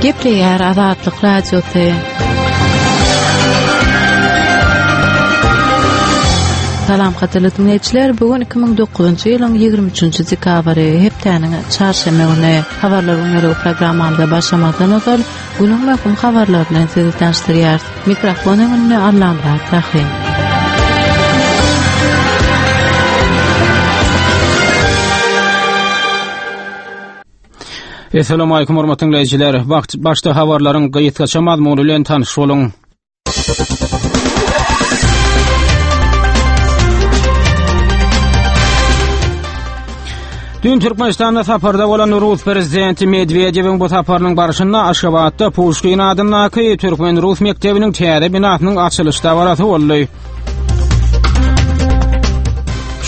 Gepleýär Azatlyk Radiosy. Salam gadyrly diňleýjiler, bu gün 2009-njy ýylyň 23-nji dekabry, hepdäniň çarşenbe güni. Habarlar günlügi programmamyza başlamazdan ozal, günüň möhüm habarlary bilen sizi tanyşdyrýarys. Mikrofon öňünde Allamyrat Rahym. Essalamu hormatly diňleýjiler. Başda habarlaryň gysgaça mazmuny bilen tanyş boluň. Dün Türkmenistanda saparda bolan Rus prezidenti Medwedewiň bu saparynyň barşynda Aşgabatda Puşkin adyndaky türkmen-rus mekdebiniň täze binasynyň açylyş dabarasy boldy.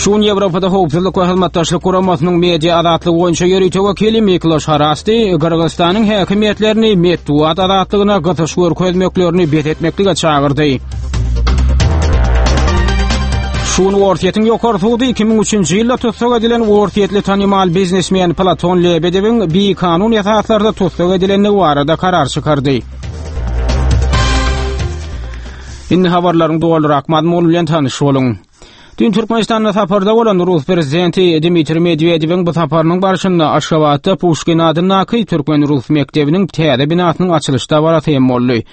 Şu gün Ýewropada Howpsuzlyk we Hyzmatdaşlyk Guramasynyň media azatlygy boýunça ýörite wekili Mikloş Harasti Gyrgyzystanyň häkimiýetlerini metbugat azatlygyna gysyş görkezmeklerini bes etmeklige çagyrdy. Şu gün Orsýetiň ýokary sudy 2003-nji ýylda tussag edilen orsýetli tanymal biznesmen Platon Lebedewiň bikanun esaslarda tussag edilendigi barada karar çykardy. Indi habarlaryň dolurak mazmuny bilen tanyş boluň. Dün Türkmenistanda saparda bolan Rus prezidenti Dmitriý Medwedewiň bu saparynyň barşynda Aşgabatda Puşkin adyndaky türkmen-rus mekdebiniň täze binasynyň açylyş dabarasy hem boldy.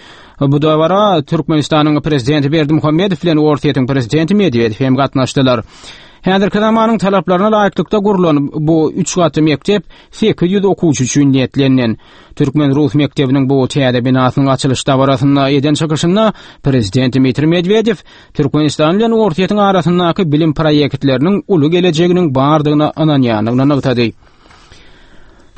Bu dabara Türkmenistanyň prezidenti Berdimuhamedow bilen Orsýetiň prezidenti Medwedew hem gatnaşdylar. Häzirki zamanyň talaplaryna laýyklykda gurlan bu üç gatly mekdep 800 okuwçy üçin niýetlenilen. Türkmen-rus mekdebiniň bu täze binasynyň açylyş dabarasynda eden çykyşynda prezident Dmitriý Medwedew Türkmenistan bilen Orsýetiň arasyndaky bilim proýektleriniň uly gelejeginiň bardygyna ynanýandygyny nygtady.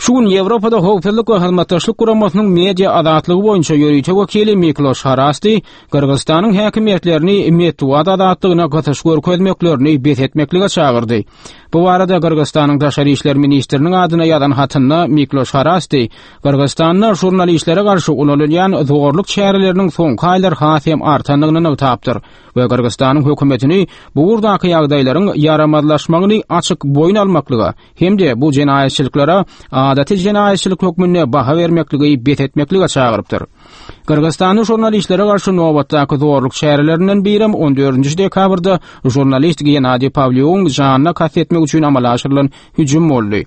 Şu gün Ýewropada Howpsuzlyk we Hyzmatdaşlyk Guramasynyň media azatlygy boýunça ýörite wekili Mikloş Harasti Gyrgyzystanyň häkimiýetlerini metbugat azatlygyna gysyş görkezmeklerini bes etmeklige çagyrdy. Bu barada Gyrgyzystanyň daşary işler ministriniň adyna ýazan hatynda Mikloş Harasti Gyrgyzystanda žurnalistlere garşy ulanylýan zorluk çäreleriniň soňky aýlar has hem artandygyny nygtapdyr we Gyrgyzystanyň hökümetini bu ugurdaky ýagdaýlaryň ýaramazlaşmagyny açyk boýun almaklyga hem-de bu jenaýatçylyklara adaty jenaýatçylyk hökmünde baha bermekligi bes etmeklige çagyrypdyr. Gyrgyzystanda žurnalistlere garşy nobatdaky zorluk çärelerinden birem on dördünji dekabrda žurnalist Gennadiý Pawlýugyň janyna kast etmek üçin amala aşyrylan hüjüm boldy.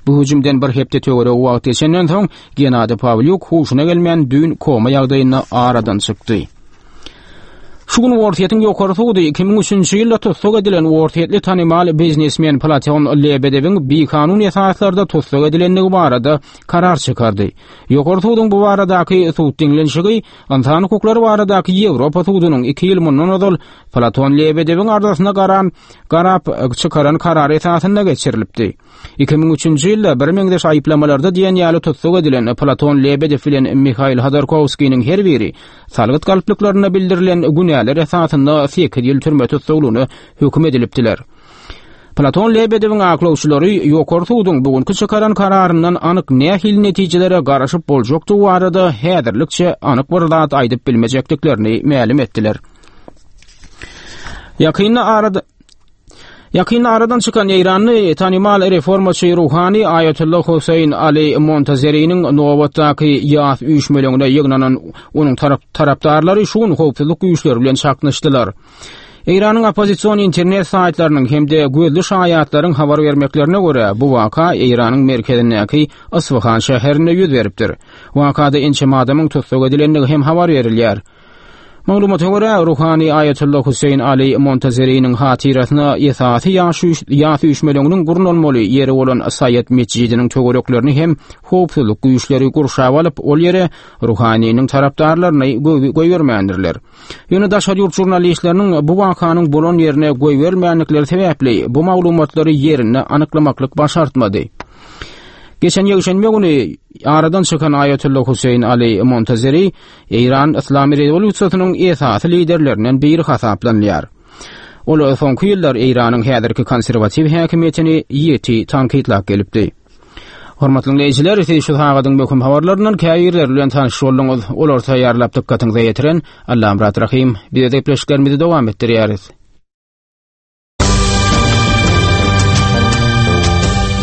Bu hüjümden bir hepde töweregi wagt geçenden soň, Gennadiý Pawlýuk huşuna gelmän düýn koma ýagdaýynda aradan çykdy. Şu gün Orsýetiň ýokary sudy 2003-nji ýylda tussag edilen orsýetli tanymal biznesmen Platon Lebedewiň bikanun esaslarda tussag edilendigi barada karar çykardy. Ýokary suduň bu baradaky sud diňlenişigi Ynsan hukuklary baradaky Ýewropa sudunyň iki ýyl mundan ozal Platon Lebedewiň arzasyna garan garap çykaran karary esasynda geçirilipdi. 2003-nji ýylda birmeňzeş aýyplamalarda diýen ýaly tussag edilen Platon Lebedew bilen Mihail Hodorkowskiniň her biri salgyt galplyklarynda bildirilen günäler esasynda sekiz ýyl türme tussaglygyna höküm edilipdiler. Platon Lebedewiň aklawçylary Ýokary suduň bu günki çykaran kararyndan anyk nähili netijelere garaşyp boljakdygy barada häzirlikçe anyk bir zat aýdyp bilmejekdiklerini mälim etdiler. Ýakynda arada Ýakynda aradan çykan eýranly tanymal reformaçy ruhany Aýatolla Hoseýn Ali Montazeriniň nobatdaky ýas üýşmeleňine ýygnanan onuň tarapdarlary şu gün howpsuzlyk güýçleri bilen çaknyşdylar. Eýranyň oppozision internet saýtlarynyň hem-de gözli şaýatlaryň habar bermeklerine görä, bu waka Eýranyň merkezindäki Isfahan şäherinde ýüz beripdir. Wakada ençeme adamyň tussag edilendigi hem habar berilýär. Maglumata görä, ruhany Aýatolla Hüseýin Ali Montazeriniň hatyrasyna esasy ýas üýşmeleňiniň gurnalmaly ýeri bolan Saýat metjidiniň töwereklerini hem howpsuzlyk güýçleri gurşap alyp, ol ýere ruhanynyň tarapdarlaryny goýbermändirler. Ýöne daşary ýurt žurnalistleriniň bu wakanyň bolan ýerine goýberilmändikleri sebäpli bu maglumatlary ýerinde anyklamaklyk başartmady. Geçen ýekşenbe güni aradan çykan Aýatolla Hüseýin Ali Montazeri Eýran Yslam rewolýusiýasynyň esasy liderlerinden biri hasaplanylýar. Ol soňky ýyllar Eýranyň häzirki konserwatiw häkimiýetini ýiti tankytlap gelipdi. Hormatly diňleýjiler, siz şu sagadyň möhüm habarlaryndan käbirleri bilen tanyş bolduňyz. Olary taýýarlap dykgatyňyza ýetiren Allamyrat Rahym. Biz gepleşiklerimizi dowam etdirýäris.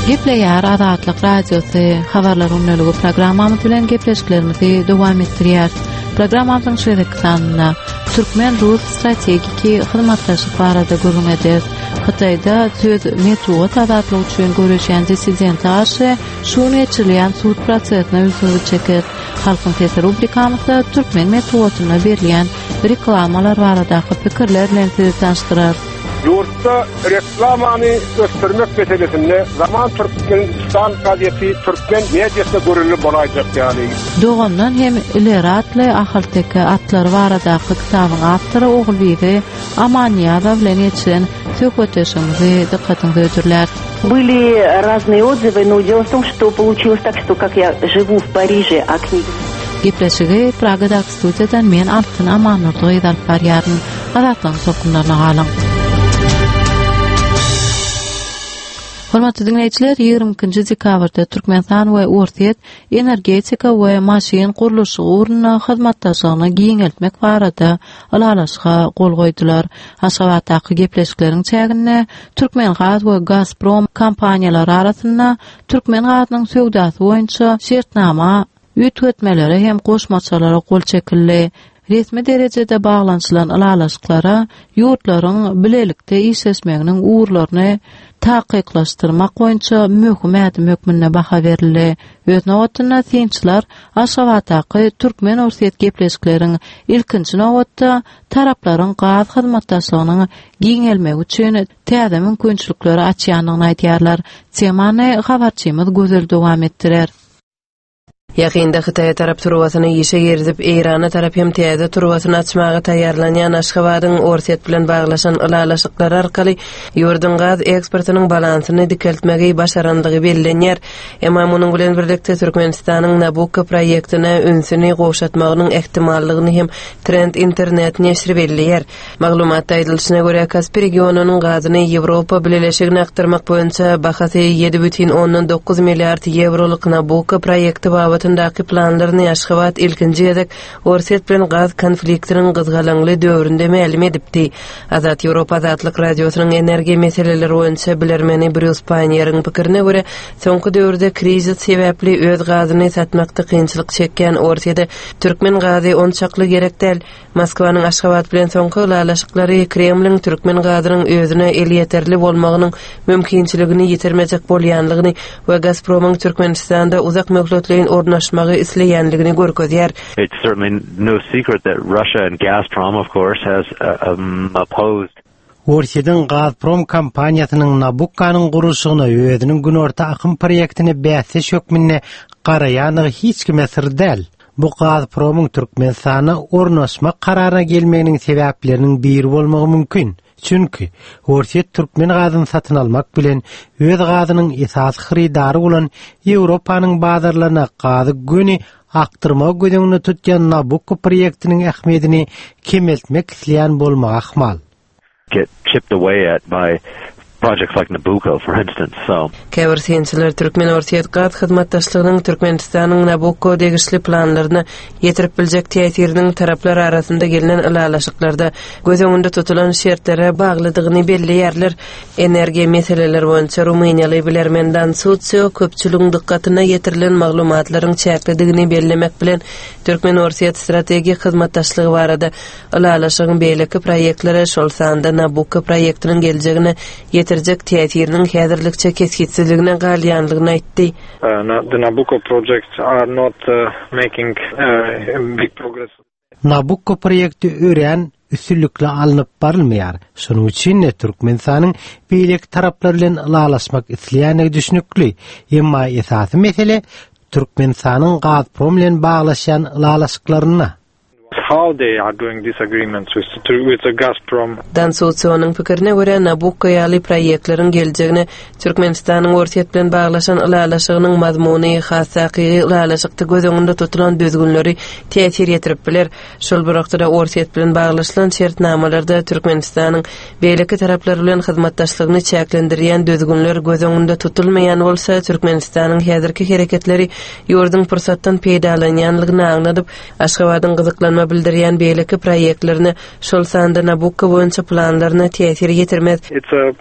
Gepleýär Azatlyk Radiosy habarlar gündeligi programmamyz bilen gepleşiklerimizi dowam etdirýär. Programmamyzyň şu gezekki sanynda türkmen-rus strategiki hyzmatdaşlyk barada gürrüň ederis. Hytaýda söz metbugat azatlygy üçin göreşýän dissidente garşy şu gün geçirilýän sud prosesine ünsüňizi çekeris. Halkyň sesi rubrikamyzda türkmen metbugatynda berilýän reklamalar baradaky pikirler bilen sizi tanyşdyrarys. Ýurtda reklamany ösdürmek meselesinde Zaman Türkmenistan gazeti türkmen mediasyna görelde bolaýjak ýaly. Dogandan hem ileri atly ahalteke atlary baradaky kitabyň awtory Ogulbibi Amannyýazowa bilen geçiren söhbetdeşligimizi dykgatyňyza hödürläris. Были разные отзывы, но дело в том, что получилось так, что как я живу в Париже, а книги... Gepleşigi Pragadaky studiýadan men Altyn Amannurdy gyz alyp barýaryn. Azatlygyň tolkunlaryna galyň. Hormatly diňleýjiler, 22-nji dekabrda Türkmenistan we Orsýet energetika we maşyn gurluşygy ugrunda hyzmatdaşlygyny giňeltmek barada ylalaşyga gol goýdular. Aşgabatdaky gepleşikleriň çäginde Türkmengaz we Gazprom kompaniýalary arasynda türkmen gazynyň söwdasy boýunça şertnama üýtgetmelere hem goşmaçalara gol çekildi. Resmi derejede baglanyşylan ylalaşyklara ýurtlaryň bilelikde işleşmeginiň ugurlaryny takyklaşdyrmak boýunça möhüm ädim hökmünde baha berildi. Öz nobatynda synçylar Aşgabatdaky türkmen-orsýet gepleşikleriň ilkinji nobatda taraplaryň gaz hyzmatdaşlygynyň giňelmegi üçin täze mümkinçilikleri açýandygyny aýdýarlar. Temany habarçymyz Gözel dowam etdirer. Ýakynda Hytaýa tarap turbasyny işe girizip, Eýrana tarap hem täze turbasyny açmaga taýýarlanýan Aşgabadyň Orsýet bilen baglaşan ylalaşyklary arkaly ýurduň gaz eksportynyň balansyny dikeltmegi başarandygy bellenýär. Emma munuň bilen birlikde Türkmenistanyň Nabukko proýektine ünsüni gowşatmagynyň ähtimallygyny hem Trend internet neşiri belleýär. Maglumatda aýdylyşyna görä, Kaspi regionynyň gazyny Ýewropa Bileleşigine akdyrmak boýunça bahasy 7,9 milliard ýewrolyk Nabukko proýekti babatyndaky planlaryny Aşgabat ilkinji gezek Orsýet bilen gaz konfliktiniň gyzgalaňly döwründe mälim edipdi. Azat Ýewropa Azatlyk Radiosynyň energiýa meseleleri boýunça bilermeni Brýus Paýneriň pikirine görä, soňky döwürde krizis sebäpli öz gazyny satmakda kynçylyk çekýän Orsýede türkmen gazy onçakly gerek däl. Moskwanyň Aşgabat bilen soňky ylalaşyklary Kremliň türkmen gazynyň özüne elýeterli bolmagynyň mümkinçiligini ýitirmejek bolýanlygyny we Gazpromyň Türkmenistanda uzak möhletleýin ornaşmagy isleýänligini görkezýär. It's certainly no secret that Russia and Gazprom, of course, has opposed. Orsýetiň Gazprom kompaniýasynyň Nabukkanyň gurluşygyna özüniň Günorta akym proýektine bäsdeş hökmünde garaýandygy hiç kime syr däl. Bu Gazpromyň Türkmenistana ornaşmak kararyna gelmeginiň sebäpleriniň biri bolmagy mümkin. Çünki, Orsýet türkmen gazyny satyn almak bilen, öz gazynyň esasy hyrydary bolan Ýewropanyň bazarlaryna gazy göni akdyrmagy göz öňünde tutýan Nabukko proýektiniň ähmiýetini kemeltmek isleýän bolmagy ahmal. get chipped away at by projects like Nabucco, for instance, so. Käbir synçylar türkmen-orsýet gaz hyzmatdaşlygynyň Türkmenistanyň Nabukko degişli planlaryna ýetirip biljek täsiriniň taraplar arasynda gelnen ylalaşyklarda göz öňünde tutulan şertlere baglydygyny belleýärler. Energiýa meseleleri boýunça rumyniýaly bilermen Dan Susio köpçüligiň dykgatyna ýetirilen maglumatlaryň çäklidigini bellemek bilen, türkmen-orsýet strategik hyzmatdaşlygy barada Ylalaşygyň beýleki proýektlere, şol sanda Nabukko proýektiniň geljegine ýetirjek täsiriniň häzirlikçe kesgitsizligine galýandygyny aýtdy. The Nabucco projects are not making big progress. Nabukko proýekti örän üstünlikli alnyp barylmaýar. Şonuň üçin-de Türkmenistanyň beýleki taraplar bilen ylalaşmak isleýändigi düşnükli. Emma esasy mesele Türkmenistanyň Gazprom bilen baglaşýan ylalaşyklarynda. How they are doing these agreements with with the Gazprom. Dan Sutsionyň pikirine görä, Nabukko ýaly proýektleriň geljegine Türkmenistanyň Orsýet bilen baglaşan ylalaşygynyň mazmuny, has takygy ylalaşykda göz öňünde tutulan düzgünleri täsir ýetirip biler. Şol bir wagtda-da Orsýet bilen baglaşylan şertnamalarda Türkmenistanyň beýleki taraplar bilen hyzmatdaşlygyny çäklendirýän düzgünler göz öňünde tutulmaýan bolsa, Türkmenistanyň häzirki hereketleri ýurduň pursatdan peýdalanýanlygyny aňladyp, Aşgabadyň gyzyklanma bildirýän beýleki proýektlerine, şol sanda Nabukko boýunça planlaryna täsir ýetirmez. It's a.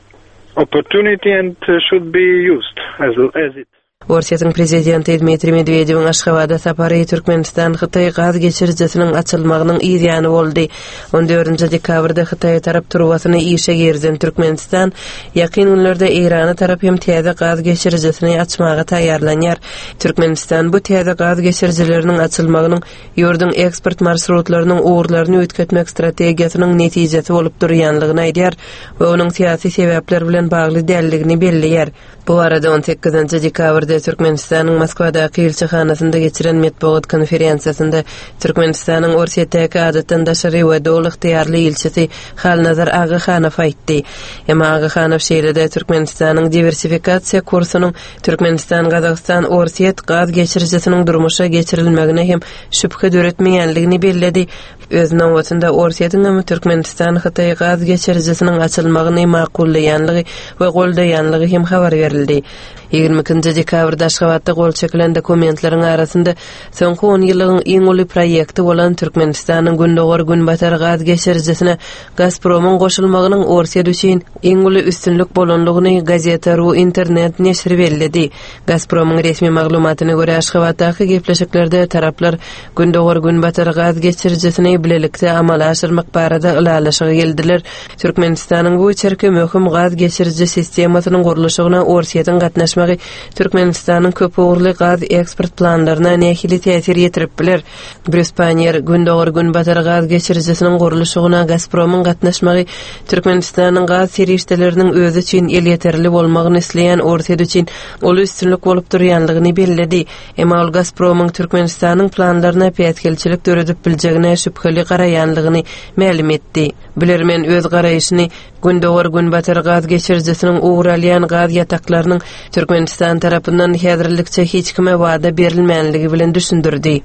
opportunity and should be used as as it. Orsýetiň prezidenti Dmitriý Medwedewiň Aşgabada sapary Türkmenistan-Hytaý gaz geçirijisiniň açylmagynyň yz ýany boldy. On dördünji dekabrda Hytaýa tarap turbasyny işe girizen Türkmenistan ýakyn günlerde Eýrana tarap hem täze gaz geçirijisini açmaga taýýarlanýar. Türkmenistan bu täze gaz geçirijileriniň açylmagynyň ýurduň eksport marşrutlarynyň ugurlaryny üýtgetmek strategiýasynyň netijesi bolup durýanlygyny aýdýar we onuň syýasy sebäpler bilen bagly däldigini belleýär. Bu barada on sekizinji dekabrda Türkmenistanyň Moskwadaky ilçihanasynda geçiren metbugat konferensiýasynda Türkmenistanyň Orsýetdäki adatdan daşary we doly ygtyýarly ilçisi Halnazar Agahanow aýtdy. Emma Agahanow şeýle-de Türkmenistanyň diwersifikasiýa kursunyň Türkmenistan-Gazagystan-Orsýet gaz geçirijisiniň durmuşa geçirilmegine hem şübhe döretmeýänligini belledi. Öz nobatynda Orsýetiň hem Türkmenistan-Hytaý gaz geçirijisiniň açylmagyny makullaýanlygy we goldaýanlygy hem habar berildi. 22-nji dekabrda Aşgabatda gol çekilen dokumentleriň arasynda soňky onýyllygyň iň uly proýekti bolan Türkmenistanyň Gündogar-Günbatar gaz geçirijisine Gazpromyň goşulmagynyň Orsýet üçin iň uly üstünlik bolanlygyny Gazeta.ru internet neşiri belledi. Gazpromyň resmi maglumatyna görä, Aşgabatdaky gepleşiklerde taraplar Gündogar-Günbatar gaz geçirijisini bilelikde amala aşyrmak barada ylalaşyga geldiler. Türkmenistanyň bu içerki möhüm gaz geçiriji sistemasynyň gurluşygyna Orsýetiň gatnaşmagy Türkmenistanyň köpugurly gaz eksport planlaryna nähili täsir ýetirip biler? Brýus Panniýer, Gündogar-Günbatar gaz geçirijisiniň gurluşygyna Gazpromyň gatnaşmagy Türkmenistanyň gaz serişdeleriniň özi üçin elýeterli bolmagyny isleýän Orsýet üçin uly üstünlik bolup durýanlygyny belledi. Emma ol Gazpromyň Türkmenistanyň planlaryna päsgelçilik döredip biljegine şübheli garaýanlygyny mälim etdi. Bilermen öz garaýşyny Gündogar-Günbatar gaz geçirijisiniň ugur alýan gaz ýataklarynyň Türkmenistan tarapyndan häzirlikçe hiç kime wada berilmänligi bilen düşündirdi.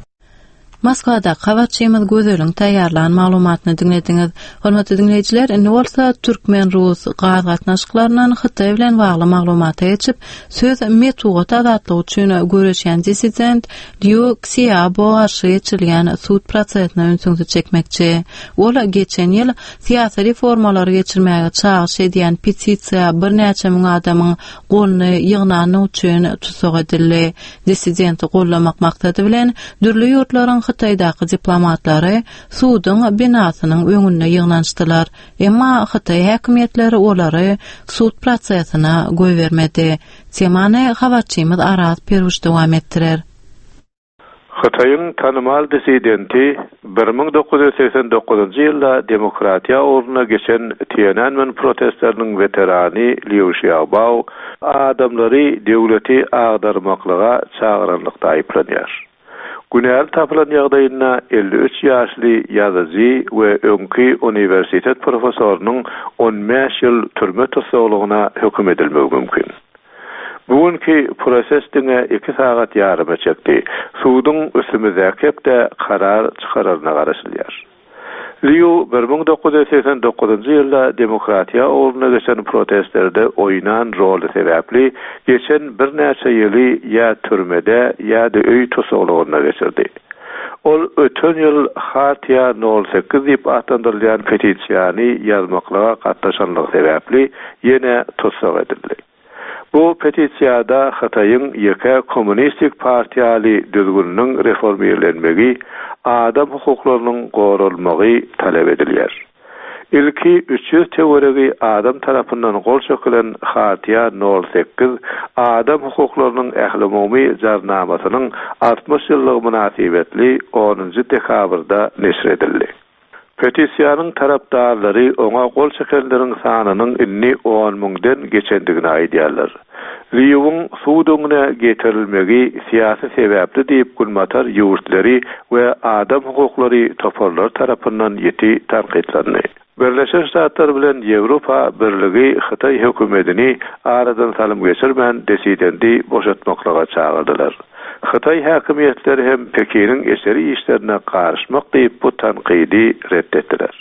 Moskwadaky habarçymyz Gözeliň taýýarlan maglumatyny diňlediňiz. Hormatly diňleýjiler, indi bolsa türkmen-rus gaz gatnaşyklaryndan Hytaý bilen bagly maglumata geçip, söz metbugat azatlygy üçin göreşýän dissident Lýu Ksiabo garşy geçirilýän sud prosesine ünsüňizi çekmekçi. Ol geçen ýyl syýasy reformalary geçirmäge çagyryş edýän petisiýa birnäçe müň adamyň goluny ýygnandygy üçin tussag edildi. Dissidenti goldamak maksady bilen dürli ýurtlaryň Hytaýdaky diplomatlary suduň binasynyň öňünde ýygnanyşdylar. Emma hytaý häkimiýetleri olary sud prosesine goýbermedi. Temany habarçymyz Araz Peruş dowam etdirer. Hytaýyň tanymal dissidenti 1989-njy ýylda demokratiýa ugrunda geçen Tiananmen protestleriniň weterany Liu Xiaobao adamlary döwleti agdarmaklyga çagyranlykda aýyplanýar. Günäli tapylan ýagdaýynda 53 ýaşly ýazyjy we öňki uniwersitet professorynyň on bäş ýyl türme tussaglygyna höküm edilmegi mümkin. Bu günki proses diňe iki sagat ýaryma çekdi. Suduň üstümizdäki hepde karar çykararyna garaşylýar. Lýu 1989-njy ýylda demokratiýa ugrunda geçen protestlerde oýnan roly sebäpli geçen birnäçe ýyly ýa türmede, ýa-da öý tussaglygynda geçirdi. Ol öten ýyl Hartiýa nol sekiz diýip atlandyrylýan petisiýany ýazmaklyga gatnaşanlygy sebäpli ýene tussag edildi. Bu petisiýada Hytaýyň ýeke kommunistik partiýaly düzgüniniň reformirlenmegi, adam hukuklarynyň goralmagy talap edilýär. Ilki 300 töweregi adam tarapyndan gol çekilen Hartiýa nol sekiz adam hukuklarynyň ählumumy jarnamasynyň 60 ýyllygy mynasybetli onunjy dekabrda neşir edildi. Petisiýanyň tarapdarlary oňa gol çekenleriň sanynyň indi on müňden geçendigini aýdýarlar. Lýuwyň sud öňüne getirilmegi syýasy sebäpli diýip günbatar ýurtlary we adam hukuklary toparlary tarapyndan ýiti tankytlandy. Birleşen Ştatlar bilen Ýewropa Birligi Hytaý hökümedini aradan salym geçirmän desidendi boşatmaklyga çagyrdylar. Hytaý häkimiýetleri hem Pekiniň içeri işlerine garyşmak diýip bu tankydy ret etdiler.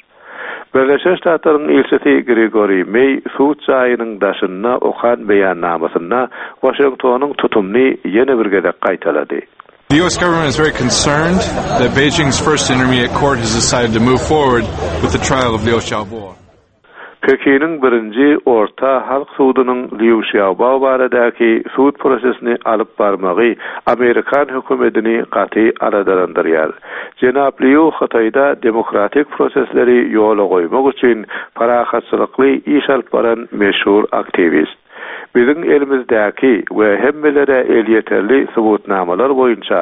Birleşen Ştatlaryň ilçisi Gregoriý Meý sud jaýynyň daşynda okan beýannamasynda Waşingtonyň tutumyny ýene bir gezek gaýtalady. The US government is very concerned that Beijing's First Intermediate Court has decided to move forward with the trial of Liu Xiaobo. Pekiniň birinji Orta halk sudunyň Lýu Şiaobao baradaky sud prosesini alyp barmagy amerikan hökümedini gaty aladalandyrýar. Jenap Lýu Hytaýda demokratik prosesleri ýola goýmak üçin parahatçylykly iş alyp baran meşhur aktiwist. Biziň elimizdäki we hemmelere elýeterli subutnamalar boýunça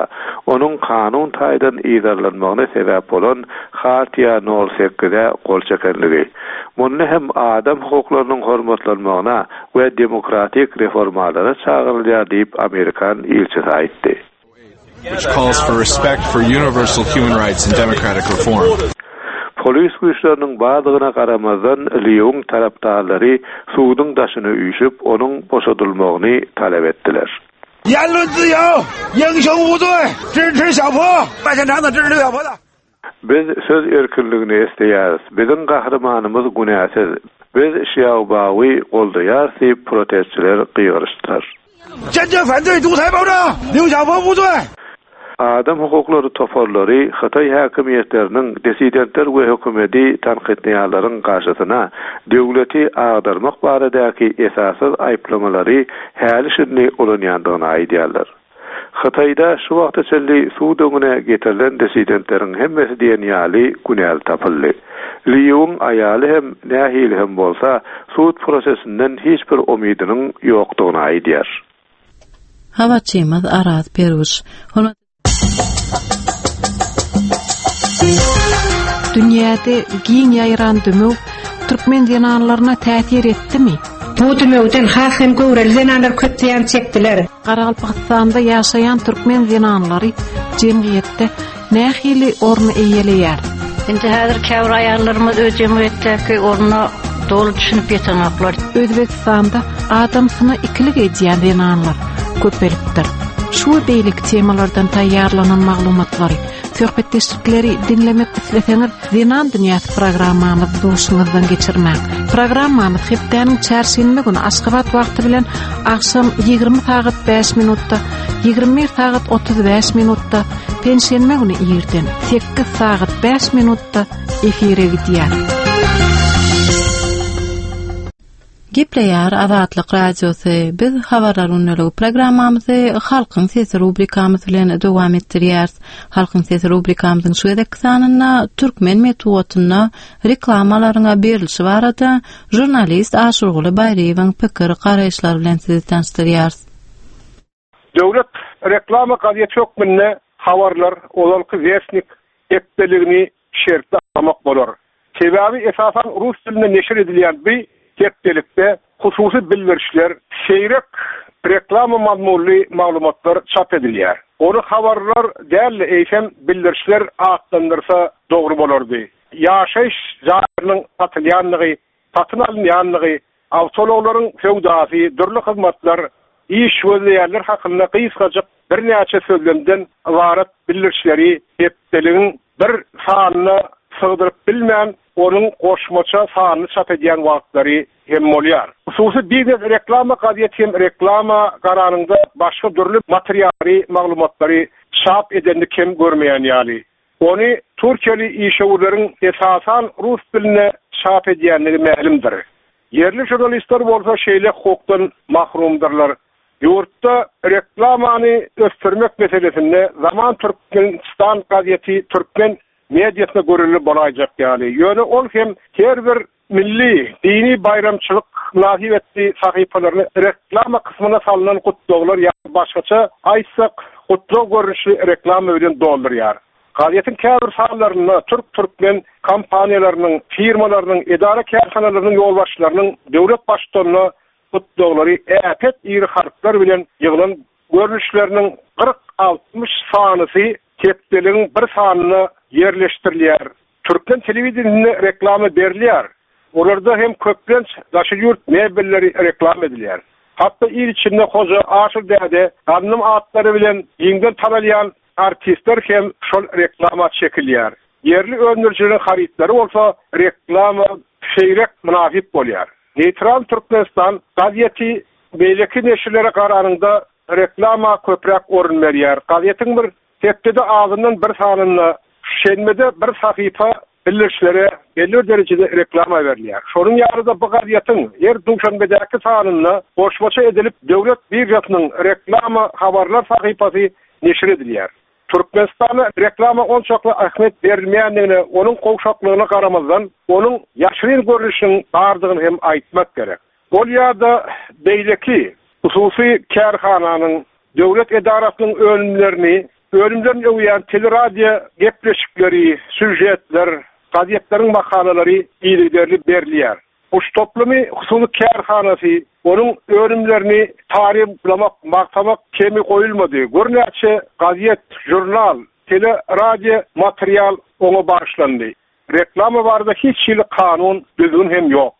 onuň kanun taýdan yzarlanmagyna sebäp bolan Hartiýa nol sekize gol çekenligi. Munda hem adam hukuklarynyň hormatlanmagyna we demokratik reformalara çagyrylýar diýip amerikan ilçisi aýtdy. which calls for respect for universal human rights and democratic reform. Polis güýçleriniň bardygyna garamazdan, Lýuň tarapdarlary suduň daşyna üýşüp, onuň boşadylmagyny talap etdiler. Biz söz erkinligini isleýäris. Biziň gahrymanymyz günäsiz. Biz Şiaobaowy goldaýarys diýip, protestçiler gygyryşdylar. Adam hukuklary toparlary hytaý häkimiýetleriniň dissidentler we hökümeti tankytlaýanlaryň garşysyna döwleti agdarmak baradaky esassyz aýyplamalary häli-şindi ulanýandygyny aýdýarlar. Hytaýda şu wagta çenli sud öňüne getirilen dissidentleriň hemmesi diýen ýaly günäli tapyldy. Lýuwyň aýaly hem nähili hem bolsa sud prosesinden hiç bir umydynyň ýokdugyny aýdýar. Habarçymyz Araz Perwiş. Dünýäde giň ýaýran dümew türkmen zenanlaryna täsir etdimi? Bu dümewden has hem göwreli zenanlar köp zyýan çekdiler. Garagalpagystanda ýaşaýan türkmen zenanlary jemgyýetde nähili orny eýeleýär? Indi häzir käbir aýallarymyz öz jemgyýetdäki ornuna doly düşünip ýetenoklar. Özbegistanda adamsyna ikilik edýän zenanlar köpelipdir. Şu we beýleki temalardan taýýarlanan maglumatlary, söhbetdeşlikleri diňlemek isleseňiz, Zenan dünýäsi programmamyzy duşuňyzdan geçirmäň. Programmamyz hepdäniň çärşenbe güni Aşgabat wagty bilen agşam 20 sagat 5 minutda, 21 sagat 35 minutda, penşenbe güni irden 8 sagat 5 minutda efire gidýär. Gepleýär Azatlyk Radiosy. Biz Habarlar gündeligi programmamyzy Halkyň sesi rubrikamyz bilen dowam etdirýäris. Halkyň sesi rubrikamyzyň şu gezekki sanynda türkmen metbugatynda reklamalaryň berlişi barada žurnalist Aşyrguly Baýryýewiň pikir garaýyşlary bilen sizi tanyşdyrýarys. Döwlet reklama gazeti hökmünde Habarlar, ozalky Westnik hepdeligini şertli agzamak bolar. Sebäbi esasan rus dilinde neşir edilýän bu hepdelikde hususy bildirişler, seýrek reklama mazmunly maglumatlar çap edilýär. Ony habarlar däl-de, eýsem bildirişler atlandyrsa dogry bolardy. Ýaşaýyş jaýlarynyň satylýandygy, satyn alynýandygy, awtoulaglaryň söwdasy, dürli hyzmatlar, iş gözleýänler hakynda gysgajyk birnäçe sözlemden ybarat bildirişleri hepdeligiň bir sanyna sygdyryp bilmän, onuň goşmaça sanyny çap edýän wagtlary hem bolýar. Hususy biznes reklama gazeti hem reklama garanyňda başga dürli materiallary, maglumatlary çap edenini kem görmeýän ýaly. Ony türkiýeli işewürleriň esasan rus dilinde çap edýändigi mälimdir. Ýerli žurnalistler bolsa şeýle hukukdan mahrumdyrlar. Ýurtda reklamany ösdürmek meselesinde Zaman Türkmenistan gazeti türkmen mediasyna görelde bolaýjak ýaly. Ýöne ol hem her bir Milli, dini baýramçylyk mynasybetli sahypalaryny reklama kysmyna salnan gutlaglar ýa başgaça aýtsak, gutlag görnüşli reklama bilen doldurýar. Gazetiň käbir sanlarynda türk-türkmen kompaniýalarynyň, firmalarynyň, edara-kärhanalarynyň ýolbaşçylarynyň döwlet baştutanyna gutlaglary äpet iri harplar bilen ýyglan görnüşleriniň kyrk-altmyş sanysy hepdeligiň bir sanynda ýerleşdirilýär. Türkmen telewideniýesinde reklama berilýär. Olarda hem köplenç daşary ýurt mebelleri reklama edilýär. Hatda il içinde Hoja, Aşyr däde, Gandym atlary bilen giňden tanalýan artistler hem şol reklama çekilýär. Ýerli öndürijileriň harytlary bolsa reklama seýrek mynasyp bolýar. Neýtral Türkmenistan gazeti beýleki neşirlere garanyňda reklama köpräk orun berýär. Gazetiň bir Hepdede azyndan bir sanynda, şenbede bir sahypa. Bildirişlere belli bir derejede reklama berilýär. Şonuň ýaly-da bu gazetiň her duşenbedäki sanynda goşmaça edilip döwlet biržasynyň reklama habarlar sahypasy neşir edilýär. Türkmenistanda reklama onçakly ähmiýet berilmeýändigine, onuň gowşaklygyna garamazdan, onuň ýaşyryn görnüşiniň bardygyny hem aýtmak gerek. Ol ýa-da beýleki hususy kärhananyň, döwlet edarasynyň önümlerini, önümlerini öwýän teleradio gepleşikleri, sýužetler, gazetleriň makalalary yzygiderli berilýär. Guş toplumy hususy kärhanasy, onuň önümlerini taryplamak, magtamak kemi goýulmady. Görnäçe gazet, žurnal, tele-radio material oňa bagyşlandy. Reklama barada hiç hili kanun, düzgün hem ýok.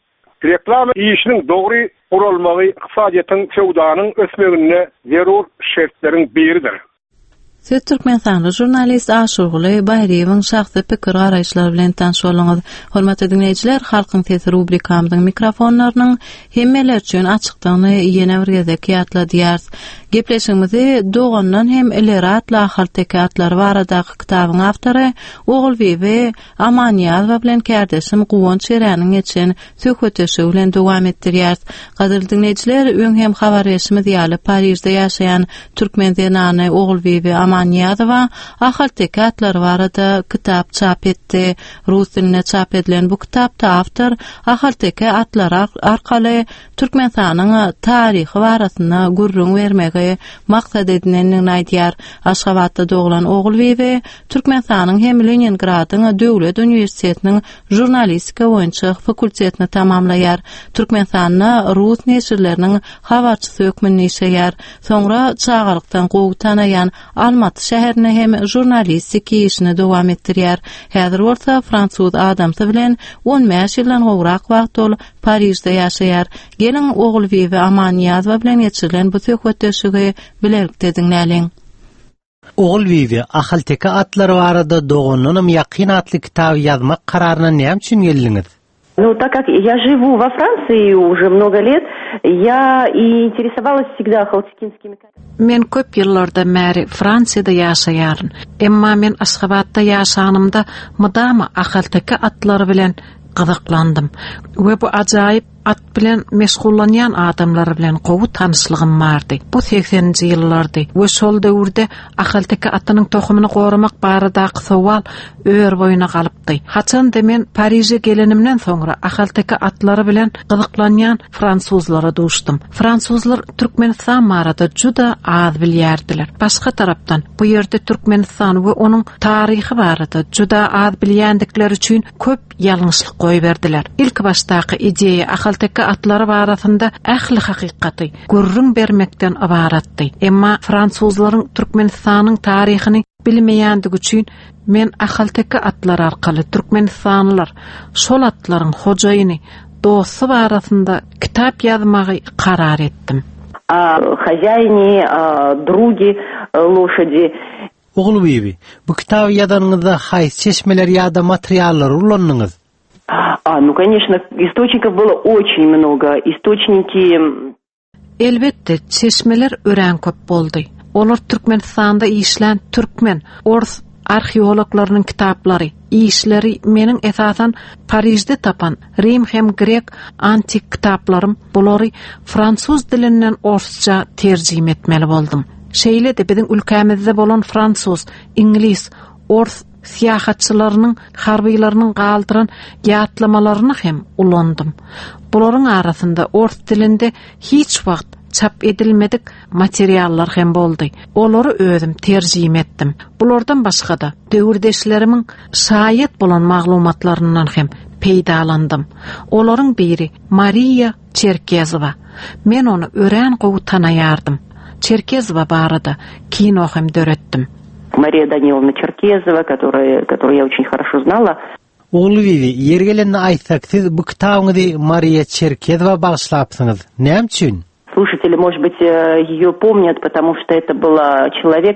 Reklama işiniň dogry guralmagy ykdysadyýetiň, söwdanyň ösmeginde zerur şertleriň biridir. Siz türkmenistanly žurnalist Aşyrguly Baýryýewiň şahsy pikir-garaýyşlary bilen tanyş bolduňyz. Hormatly diňleýjiler, Halkyň sesi rubrikamyzyň mikrofonlarynyň hemmeler üçin açykdygyny ýene bir gezek ýatladýarys. Gepleşigimizi Dogandan hem ileri atly ahalteke atlary baradaky kitabyň awtory Ogulbibi Amannyýazowa bilen kärdeşim Guwanç Ereniň geçen söhbetdeşligi bilen dowam etdirýäris. Gadyrly diňleýjiler, öň hem habar berşimiz ýaly, Parižde ýaşaýan türkmen zenany Ogulbibi Amannyýazowa ahalteke atlary barada kitap çap etdi. Rus dilinde çap edilen bu kitapda awtor ahalteke atlary arkaly Türkmenistanyň taryhy barasynda gürrüň bermegi maksat edinendigini aýdýar. Aşgabatda doglan Ogulbibi Türkmenistanyň hem Leningradyň döwlet uniwersitetiniň žurnalistika boýunça fakultetini tamamlaýar. Türkmenistanda rus neşirleriniň habarçysy hökmünde işleýär. Soňra çagalykdan gowy tanaýan Almaty şäherinde hem žurnalistik işini dowam etdirýär. Häzir bolsa fransuz adamsy bilen 15 ýyldan gowrak wagt ol Parižde ýaşaýar. Geliň, Ogulbibi Amannyýazowa bilen geçirilen bu söhbetdeşligi bilelikde diňläliň. Ogulbibi, ahalteke atlary barada Dogandanam ýakyn atly kitaby ýazmak kararyna näme üçin geldiňiz? Ну, так как я живу во Франции уже много лет, я и интересовалась всегда ахалтекинскими Men köp ýyllardan bäri Fransiýada ýaşaýaryn. Emma men Aşgabatda ýaşanymda mydama ahalteke atlary bilen gyzyklandym we bu ajaýyp At bilen meşgullanýan adamlar bilen gowy tanyşlygym bardy. Bu segseninji ýyllardy we şol döwürde ahalteke atynyň tohumyny goramak baradaky sowal ör-boýuna galypdy. Haçan-da men Pariže gelenimden soňra ahalteke atlary bilen gyzyklanýan fransuzlara duşdum. Fransuzlar Türkmenistan barada juda az bilýärdiler. Başga tarapdan, bu ýerde Türkmenistan we onuň taryhy barada juda az bilýändikleri üçin köp ýalňyşlyk goýberdiler. Ilkibaşdaky ideýa ahalteke atlary barasynda ähli hakykaty gürrüň bermekden ybaratdy. Emma fransuzlaryň Türkmenistanyň taryhyny bilmeýändigi üçin men ahalteke atlary arkaly türkmenistanlylar, şol atlaryň hojaýyny, dosty barasynda kitap ýazmagy karar etdim. O хозяине, о друге лошади. Ogulbibi, bu kitaby ýazanyňyzda haýsy çeşmeleri ýa-da materiallary ulandyňyz? A, nu, конечно, источников было очень много. Источники Elbetde, çeşmeler örän köp boldy. Olar Türkmenistanda işlän türkmen, ors arheologlarynyň kitaplary, işleri, meniň esasan Parižde tapan rim hem grek antik kitaplarym, bulary fransuz dilinden orsça terjime etmeli boldum. Şeýle-de biziň ülkämizde bolan fransuz, iňlis, ors syýahatçylarynyň, harbylarynyň galdyran ýatlamalaryny hem ulandym. Bularyň arasynda ors dilinde hiç wagt çap edilmedik materiallar hem boldy. Olary özüm terjime etdim. Bulardan başga-da, döwürdeşlerimiň şaýat bolan maglumatlaryndan hem peýdalandym. Olaryň biri Mariýa Çerkezowa. Men ony örän gowy tanaýardym. Çerkezowa barada kino hem döretdim. Mariýa Danilovna Çerkezowa, которая, которую я очень хорошо знала. Ogulbibi, ýeri gelende aýtsak, siz bu kitabyňyzy Mariýa Çerkezowa bagyşlapsyňyz. Näme üçin? Слушатели, может быть, ее помнят, потому что это была человек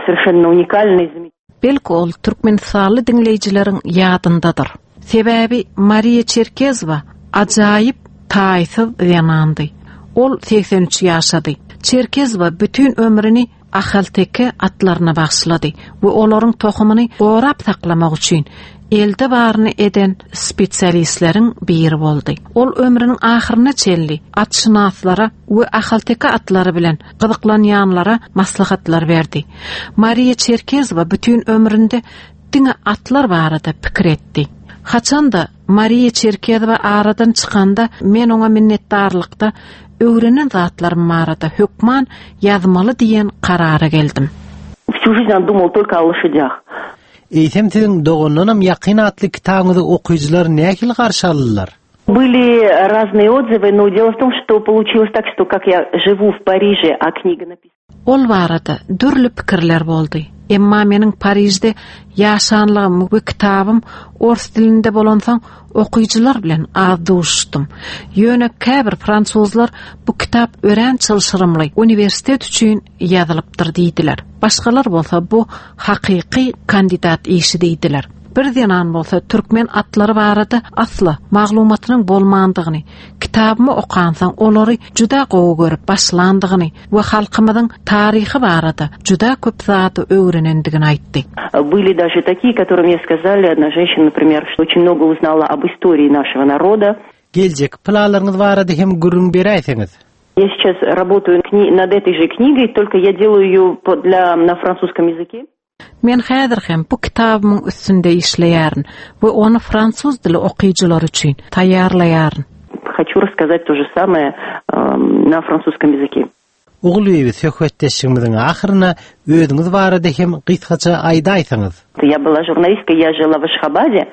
совершенно уникальный. Belki ol türkmenistanly diňleýjileriň ýadyndadyr. Sebäbi Mariýa Çerkezowa ajaýyp, taýsyz zenandy. Ol 83 ýaşady. Çerkezowa bütin ömrüni. ahalteke atlaryna bagyşlady we olaryň tohumyny gorap saklamak üçin elde baryny eden spesialistleriň biri boldy. Ol ömrüniň ahyryna çenli atşynaslara we ahalteke atlary bilen gyzyklanýanlara maslahatlar berdi. Mariýa Çerkezowa bütin ömründe diňe atlar barada pikir etdi. Haçan-da Mariýa Çerkezowa aradan çykanda men oňa minnetdarlykda öwrenen zatlarym barada hökman ýazmaly diýen karara geldim. Всю жизнь он думал только о лошадях. Eýsem siziň Dogandanam ýakyn atly kitabyňyzy okyjylar nähili garşy aldylar? Были разные отзывы, но дело в том, что получилось так, что как я живу в Париже, а книга написана... Ol barada dürli pikirler boldy. Emma meniň Parižde ýaşanlygym we kitabym ors dilinde bolansoň, okyjylar bilen az duşuşdym. Ýöne käbir fransuzlar bu kitap örän çylşyrymly, uniwersitet üçin ýazylypdyr diýdiler. Başgalar bolsa bu hakyky kandidat işi diýdiler. Bir zenan bolsa türkmen atlary barada asla maglumatynyň bolmandygyny, kitabymy okansoň olary juda gowy görüp başlandygyny we halkymyzyň taryhy barada juda köp zady öwrenendigini aýtdy. Были даже такие, которые мне сказали, одна женщина, например, что очень много узнала об истории нашего народа. Geljekki planlaryňyz barada hem gürrüň beräýseňiz? Я сейчас работаю над этой же книгой, только я делаю ее для, на французском языке. Men häzir hem bu kitabymyň üstünde işleýärin we ony fransuz dili okyjylary üçin taýýarlaýaryn. Хочу рассказать то же самое на французском языке. Ogulbibi, söhbetdeşligimiziň ahyrynda özüňiz barada hem gysgaça aýdaýsaňyz. Я была журналисткой, я жила в Ашхабаде.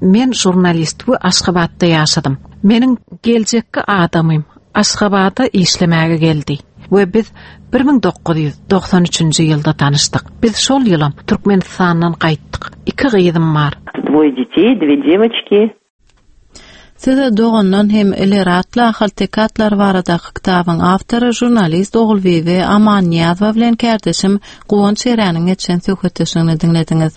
Men žurnalist we Aşgabatda ýaşadym. Meniň geljekki adamym Aşgabada işlemäge geldi we biz 1993-nji ýylda tanyşdyk. Biz şol ýylam Türkmenistandan gaýtdyk. Iki gyzym bar. Dwoe detey, dwe dewoçki. Siz Dogandan hem ileri atly ahalteke atlary baradaky kitabyň awtory, žurnalist Ogulbibi Amannyýazowa bilen kärdeşim Guwanç Ereniň geçen söhbetdeşligini diňlediňiz.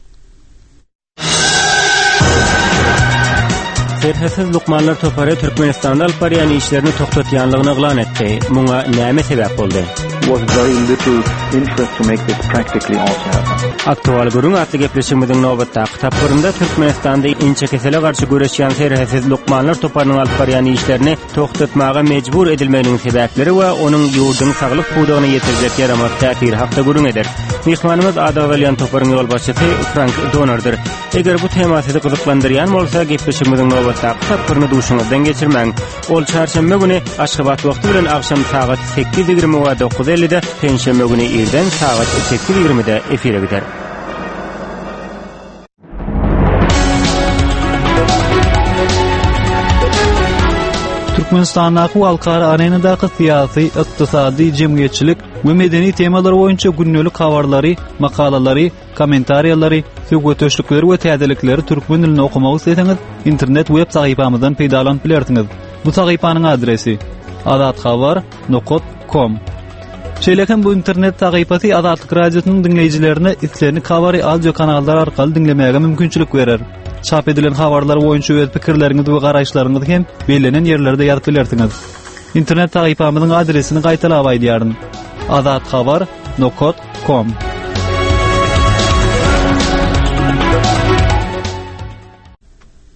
Serhetsiz lukmanlar topary Türkmenistanda alyp barýan işlerini togtatýanlygyny yglan etdi. Muňa näme sebäp boldy? Was very little interest to make this practically also happen. Aktual gürrüň atly gepleşigimiziň nobatdaky tapgyrynda Türkmenistanda inçekesele garşy göreşýän Serhetsiz lukmanlar toparynyň alyp barýan işlerini togtatmaga mejbur edilmeginiň sebäpleri we onuň ýurduň saglyk pudagyna ýetirjek ýaramaz täsiri hakda gürrüň ederis. Myhmanymyz ady agzalýan toparyň ýolbaşçysy Frank Donerdir. Eger bu tema sizi gyzyklandyrýan bolsa, gepleşigimiziň nobatdaky tapgyryny duşuňyzdan geçirmäň. Ol çarşenbe güni Aşgabat wagty bilen agşam sagat 8:20 we 9:50-de, penşenbe güni irden sagat 8:20-de efire gider. Türkmenistandaky we halkara arenadaky syýasy, ykdysady, jemgyýetçilik we medeni temalar boýunça gündelik habarlary, makalalary, kommentariýalary, söhbetdeşlikleri we täzelikleri türkmen dilinde okamak isleseňiz, internet web sahypamyzdan peýdalanyp bilersiňiz. Bu sahypanyň adresi: azathabar nokat kom. Şeýle hem bu internet sahypasy Azatlyk Radiosynyň diňleýjilerine islendik habary audio kanallar arkaly diňlemäge mümkinçilik berer. Çap edilen habarlar boýunça öz pikirleriňizi we garaýyşlaryňyzy hem bellenen ýerlerde ýazyp bilersiňiz. Internet sahypamyzyň adresini gaýtalap aýdýaryn. Azathabar nokat kom.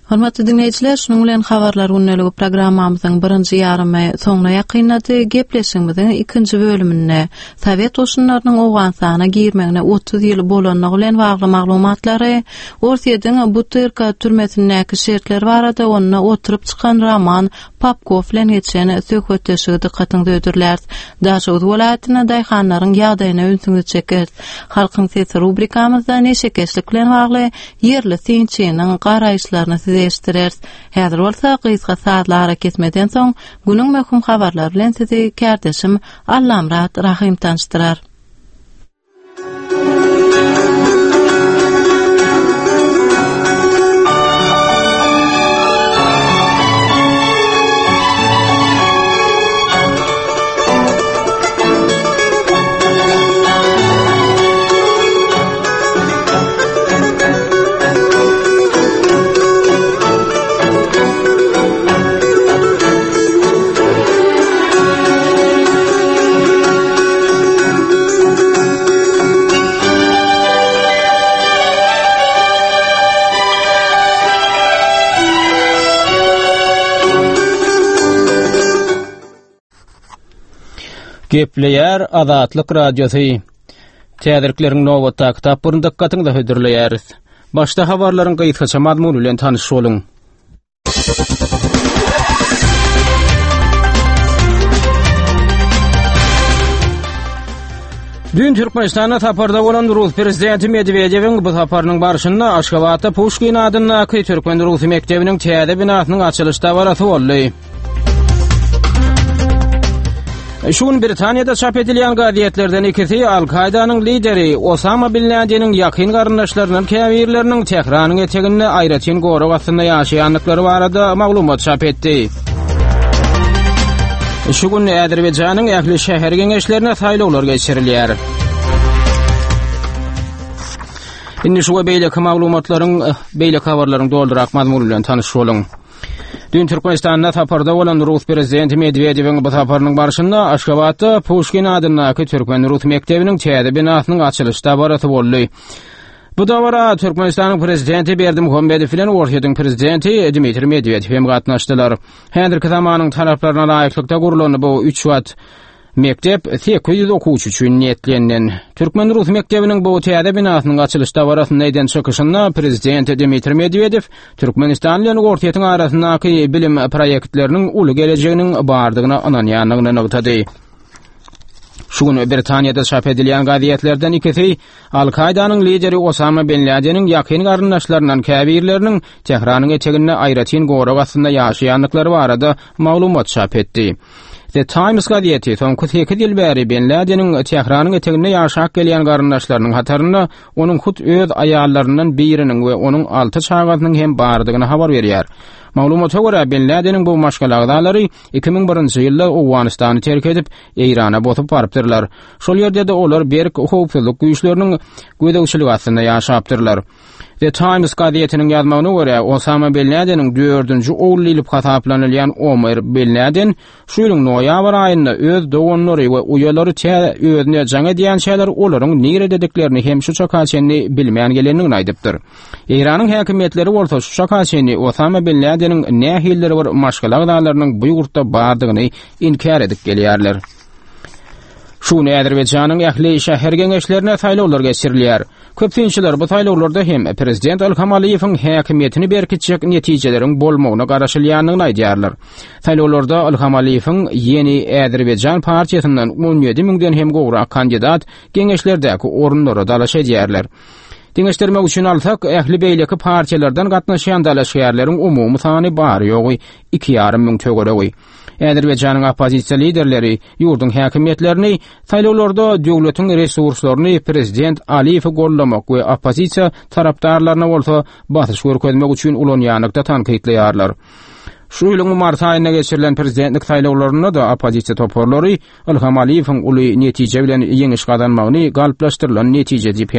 Hormatly diňleýjiler, şunuň bilen Habarlar gündeligi programmamyzyň birinji ýarymy soňuna ýakynlady. Gepleşigimiziň ikinji bölüminde Sowet goşunlarynyň Owganystana girmegine 30 ýyl bolanlygy bilen bagly maglumatlary, Orsýetiň Butyrka türmesindäki şertler barada onda oturyp çykan Roman Popkow bilen geçen söhbetdeşligi dykgatyňyza hödürläris. Daşoguz welaýatynda daýhanlaryň ýagdaýyna ünsüňizi çekeris. Halkyň sesi rubrikamyzda neşekeşlik bilen bagly ýerli synçynyň garaýyşlaryny size eşitdireris. Häzir bolsa gysga sazly arakesmeden soň günüň möhüm habarlary bilen sizi kärdeşim Allamyrat Rahym tanyşdyrar. Gepleýär Azatlyk Radiosy. Täzelikleriň nobatdaky tapgyryny dykgatyňyza hödürleýäris. Başda habarlaryň gysgaça mazmuny bilen tanyş boluň. Düýn Türkmenistanda saparda bolan Rus prezidenti Medwedewiň bu saparynyň barşynda Aşgabatda Puşkin adyndaky türkmen-rus mekdebiniň täze binasynyň açylyş dabarasy boldy. Şu gün Britaniýada çap edilýän gazetlerden ikisi Al-Kaýdanyň lideri Osama bin Ladeniň ýakyn garyndaşlaryndan käbirleriniň Tähranyň eteginde aýratyn gorag astynda ýaşaýandyklary barada maglumat çap etdi. Şu gün Azerbaýjanyň ähli şäher geňeşlerine saýlawlar geçirilýär. Indi şu we beýleki maglumatlaryň, beýleki habarlaryň doldurak mazmuny bilen tanyş boluň. Düýn Türkmenistanda saparda bolan rus prezidenti Medwedewiň bu saparynyň barşynda Aşgabatda Puşkin adyndaky türkmen-rus mekdebiniň täze binasynyň açylyş dabarasy boldy. Bu dabara Türkmenistanyň prezidenti Berdimuhamedow bilen Orsýetiň prezidenti Dmitriý Medwedew hem gatnaşdylar. Häzirki zamanyň talaplaryna laýyklykda gurlan bu üç gat Mekdep 800 okuwçy üçin niýetlenilen. Türkmen-rus mekdebiniň bu täze binasynyň açylyş dabarasynda eden çykyşynda prezident Dmitriý Medwedew Türkmenistan bilen Orsýetiň arasyndaky bilim proýektleriniň uly gelejeginiň bardygyna ynanýandygyny nygtady. Şu gün Britaniýada çap edilýän gazetlerden ikisi Al-Kaýdanyň lideri Osama bin Ladeniň ýakyn garyndaşlaryndan käbirleriniň Tähranyň eteginde aýratyn gorag astynda ýaşaýandyklary barada maglumat çap etdi. The Times gazeti soňky sekiz ýyl bäri Bin Ladeniň Tähranyň eteginde ýaşap gelýän garyndaşlarynyň hatarynda onuň hut öz aýallaryndan biriniň we onuň alty çagasynyň hem bardygyny habar berýär. Maglumata görä, Bin Ladeniň bu maşgala agzalary 2001-nji ýylda Owganystany terk edip, Eýrana bosup barypdyrlar. Şol ýerde-de olar berk howpsuzlyk güýçleriniň gözegçiligi astynda ýaşapdyrlar. The Times gazetiniň ýazmagyna görä, Osama bin Ladeniň dördünji ogly diýlip hasaplanylýan Omer bin Laden şu ýylyň noýabr aýynda öz doganlary we uýalary tä özüne jaň edýänçäler olaryň niredediklerini hem şu çaka çenli bilmän gelendigini aýdypdyr. Eýranyň häkimiýetleri bolsa şu çaka çenli Osama bin Ladeniň nähilidir bir maşgala agzalarynyň bu ýurtda bardygyny inkär edip gelýärler. Şu gün Azerbaýjanyň ähli şäher geňeşlerine saýlawlar geçirilýär. Köp synçylar bu saýlawlarda hem prezident Ilham Aliýewiň häkimiýetini berkitjek netijeleriň bolmagyna garaşylýandygyny aýdýarlar. Saýlawlarda Ilham Aliýewiň Ýeni Azerbaýjan partiýasyndan 17 müňden hem gowrak kandidat geňeşlerdäki orunlara dalaş edýärler. Deňeşdirmek üçin alsak, ähli beýleki partiýalardan gatnaşýan dalaşgärleriň umumy sany bary-ýogy iki ýarym müň töweregi. Azerbaýjanyň oppozisiýa liderleri ýurduň häkimiýetlerini saýlawlarda döwletiň resurslaryny prezident Aliýewi goldamak we oppozisiýa tarapdarlaryna bolsa basyş görkezmek üçin ulanýanlykda tankytlaýarlar. Şu ýylyň mart aýynda geçirilen prezidentlik saýlawlarynda-da oppozisiýa toparlary Ilham Aliýewiň uly netije bilen ýeňiş gazanmagyny galplaşdyrylan netije diýip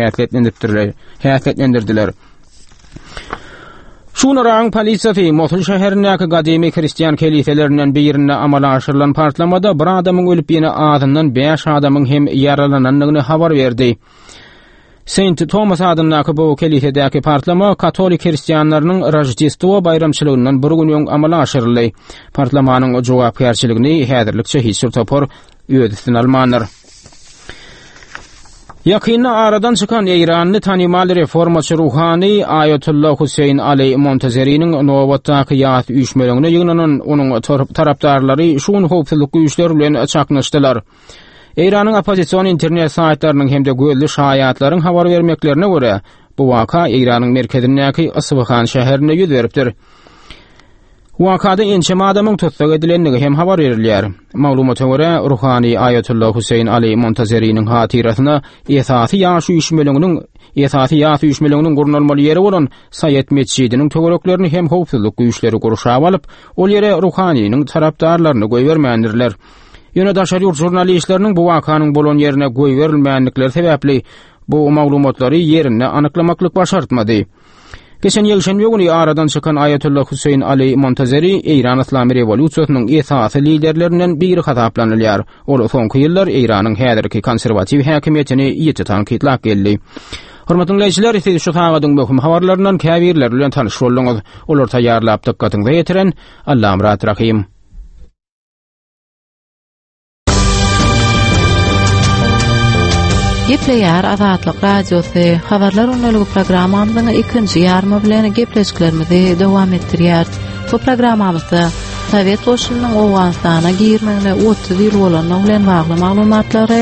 häsiýetlendirdiler. Şu gün Yragyň polisiýasy Mosul şäherindäki gadymy hristian keliselerinden birinde amala aşyrylan partlamada bir adamyň ölüp ýene azyndan bäş adamyň hem ýaralanandygyny habar berdi. Saint Thomas adyndaky bu kelisedäki partlama katolik hristianlarynyň Roždestwo baýramçylygyndan bir gün öň amala aşyryldy. Partlamanyň jogapkärçiligini häzirlikçe hiç bir topar öz üstüne almandyr. Ýakynda aradan çykan eýranly tanymal reformaçy ruhany Aýatolla Hüseýin Ali Montazeriniň nobatdaky ýas üýşmeleňine ýygnanan onuň tarapdarlary şu gün howpsuzlyk güýçleri bilen çaknyşdylar. Eýranyň oppozision internet saýtlarynyň hem-de gözli şaýatlaryň habar bermeklerine görä, bu waka Eýranyň merkezindäki Isfahan şäherinde ýüz beripdir. Wakada ençeme adamyň tussag edilendigi hem habar berilýär. Maglumata görä, ruhany Aýatolla Hüseýin Ali Montazeriniň hatyrasyna esasy ýaş üýşmeleňiniň esasy ýas üýşmeleňiniň gurnalmaly ýeri bolan Saýet metjidiniň töwereklerini hem howpsuzlyk güýçleri gurşap alyp, ol ýere ruhanynyň tarapdarlaryny goýbermändirler. Ýöne daşary ýurt žurnalistleriniň bu wakanyň bolan ýerine goýberilmändikleri sebäpli bu maglumatlary ýerinde anyklamaklyk başartmady. Geçen ýekşenbe güni aradan çykan Aýatolla Hüseýin Ali Montazeri Eýran Yslamy rewolýusiýasynyň esasy liderlerinden biri hasaplanylýar. Ol soňky ýyllar Eýranyň häzirki konserwatiw häkimiýetini ýiti tankytlap geldi. Hormatly diňleýjiler, siz şu sagadyň möhüm habarlaryndan käbirleri bilen tanyş bolduňyz. Olary taýýarlap dykgatyňyza ýetiren Allamyrat Rahym. Gepleýär Azatlyk Radiosy, Habarlar gündeligi programmamyzyň ikinji ýarymy bilen gepleşiklerimizi dowam etdirýäris. Bu programmamyzda Sowet goşunynyň Owganystana girmegine 30 ýyl bolandygy bilen bagly maglumatlary,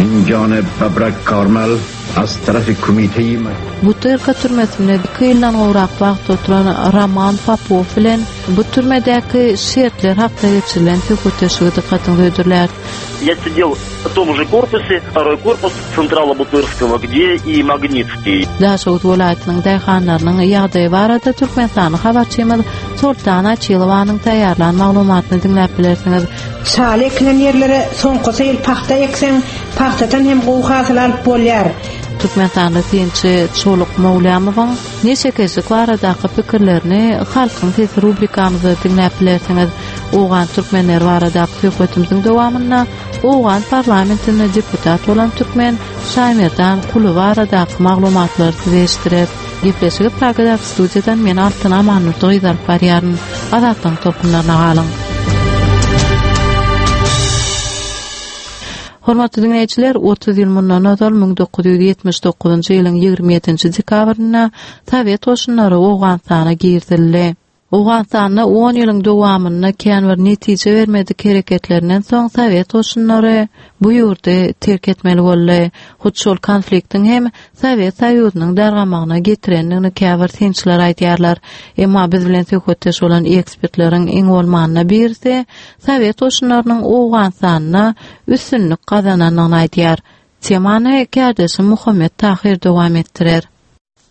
Injone Babrak Karmal az tarafy Komiteýi Butyrka türmesinde iki ýyldan gowrak wagt oturan Roman Popow bilen bu türmedäki şertler hakda geçirilen söhbetdeşligi dykgatyňyza hödürläris. Я сидел в том же корпусе, второй корпус Централа Бутырского, где и Магнитский. Daşoguz welaýatynyň daýhanlarynyň ýagdaýy barada türkmenistanly habarçymyz Soltan Açylowanyň taýýarlan maglumatyny diňläp bilersiňiz. Şaly ekilen ýerlere soňkusy ýyl pagta ekseň, pagtadan hem gowy hasyl alyp bolýar. Türkmenistanly synçy Çoluk Mowlamowyň neşekeşlik baradaky pikirlerini Halkyň sesi rubrikamyzda diňläp bilersiňiz. Owgan türkmenleri baradaky söhbetimiziň dowamynda owgan parlamentinde deputat bolan türkmen Şaýmerdan Kuly baradaky maglumatlary size eşitdireris. Gepleşigi Pragadaky studiýadan men Altyn Amannurdy gyz alyp barýaryn. Azatlygyň tolkunlaryna galyň. Hormatly diňleýjiler, 30 ýyl mundan ozal 1979-njy ýylyň 27-nji dekabrynda sowet goşunlary Owganystana girizildi. Owganystanda on ýylyň dowamynda kän bir netije bermedik hereketlerinden soň sowet goşunlary bu ýurdy terk etmeli boldy. Hut şol konfliktiň hem Sowet Soýuzynyň dargamagyna getirendigini käbir synçylar aýdýarlar. Emma biz bilen söhbetdeş bolan ekspertleriň iň bolmanda birisi sowet goşunlarynyň Owganystanda üstünlik gazanandygyny aýdýar. Temany kärdeşim Muhammet Tahyr dowam etdirer.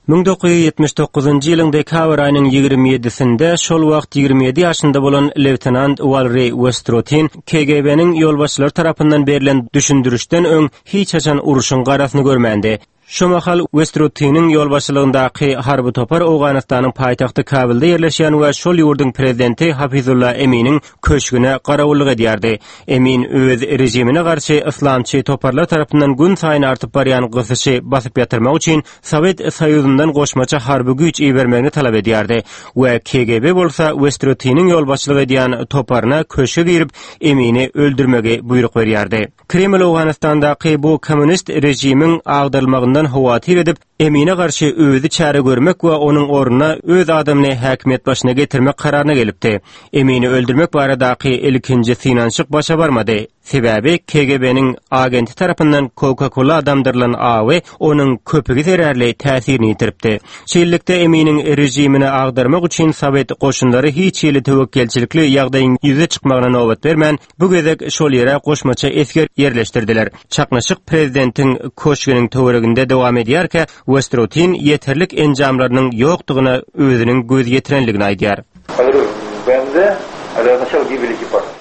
1979-njy ýylyň dekabr aýynyň 27-sinde şol wagt 27 ýaşynda bolan leýtenant Walriý Westrotin KGB-niň ýolbaşçylary tarapyndan berlen düşündirişden öň hiç haçan urşuň garasyny görmändi. Şo mahal Westrotiniň ýolbaşçylygyndaky harby topar Owganystanyň paýtagty Kabulda ýerleşýän we şol ýurduň prezidenti Hafizulla Eminiň köşgüne garawullyk edýärdi. Emin öz režimine garşy yslamçy toparlar tarapyndan günsaýyn artyp barýan gysyşy basyp ýatyrmak üçin Sowet Soýuzyndan goşmaça harby güýç ibermegini talap edýärdi we KGB bolsa Westrotiniň ýolbaşçylyk edýän toparyna köşge girip Emini öldürmegi buýruk berýärdi. Kreml Owganystandaky bu kommunist režimiň agdarylmagyndan howatyr edip, Emine garşy özi çäre görmek we onuň ornuna öz adamyny häkimiýet başyna getirmek kararyna gelipdi. Emini öldürmek baradaky ilkinji synanyşyk başa barmady. Sebäbi KGB-niň agenti tarapyndan Coca-Cola damdyrylan awy onuň köpügi zerarly täsirini ýitiripdi. Şeýlelikde, Eminiň režimini agdarmak üçin sowet goşunlary hiç hili töwekgelçilikli ýagdaýyň ýüze çykmagyna nobat bermän, Bu gezek şol ýere goşmaça esger ýerleşdirdiler. Çaknyşyk prezidentiň köşgüniň töwereginde dowam edýärkä, Westrotin ýeterlik enjamlarynyň ýokdugyna özüniň göz ýetirenligini aýdýar.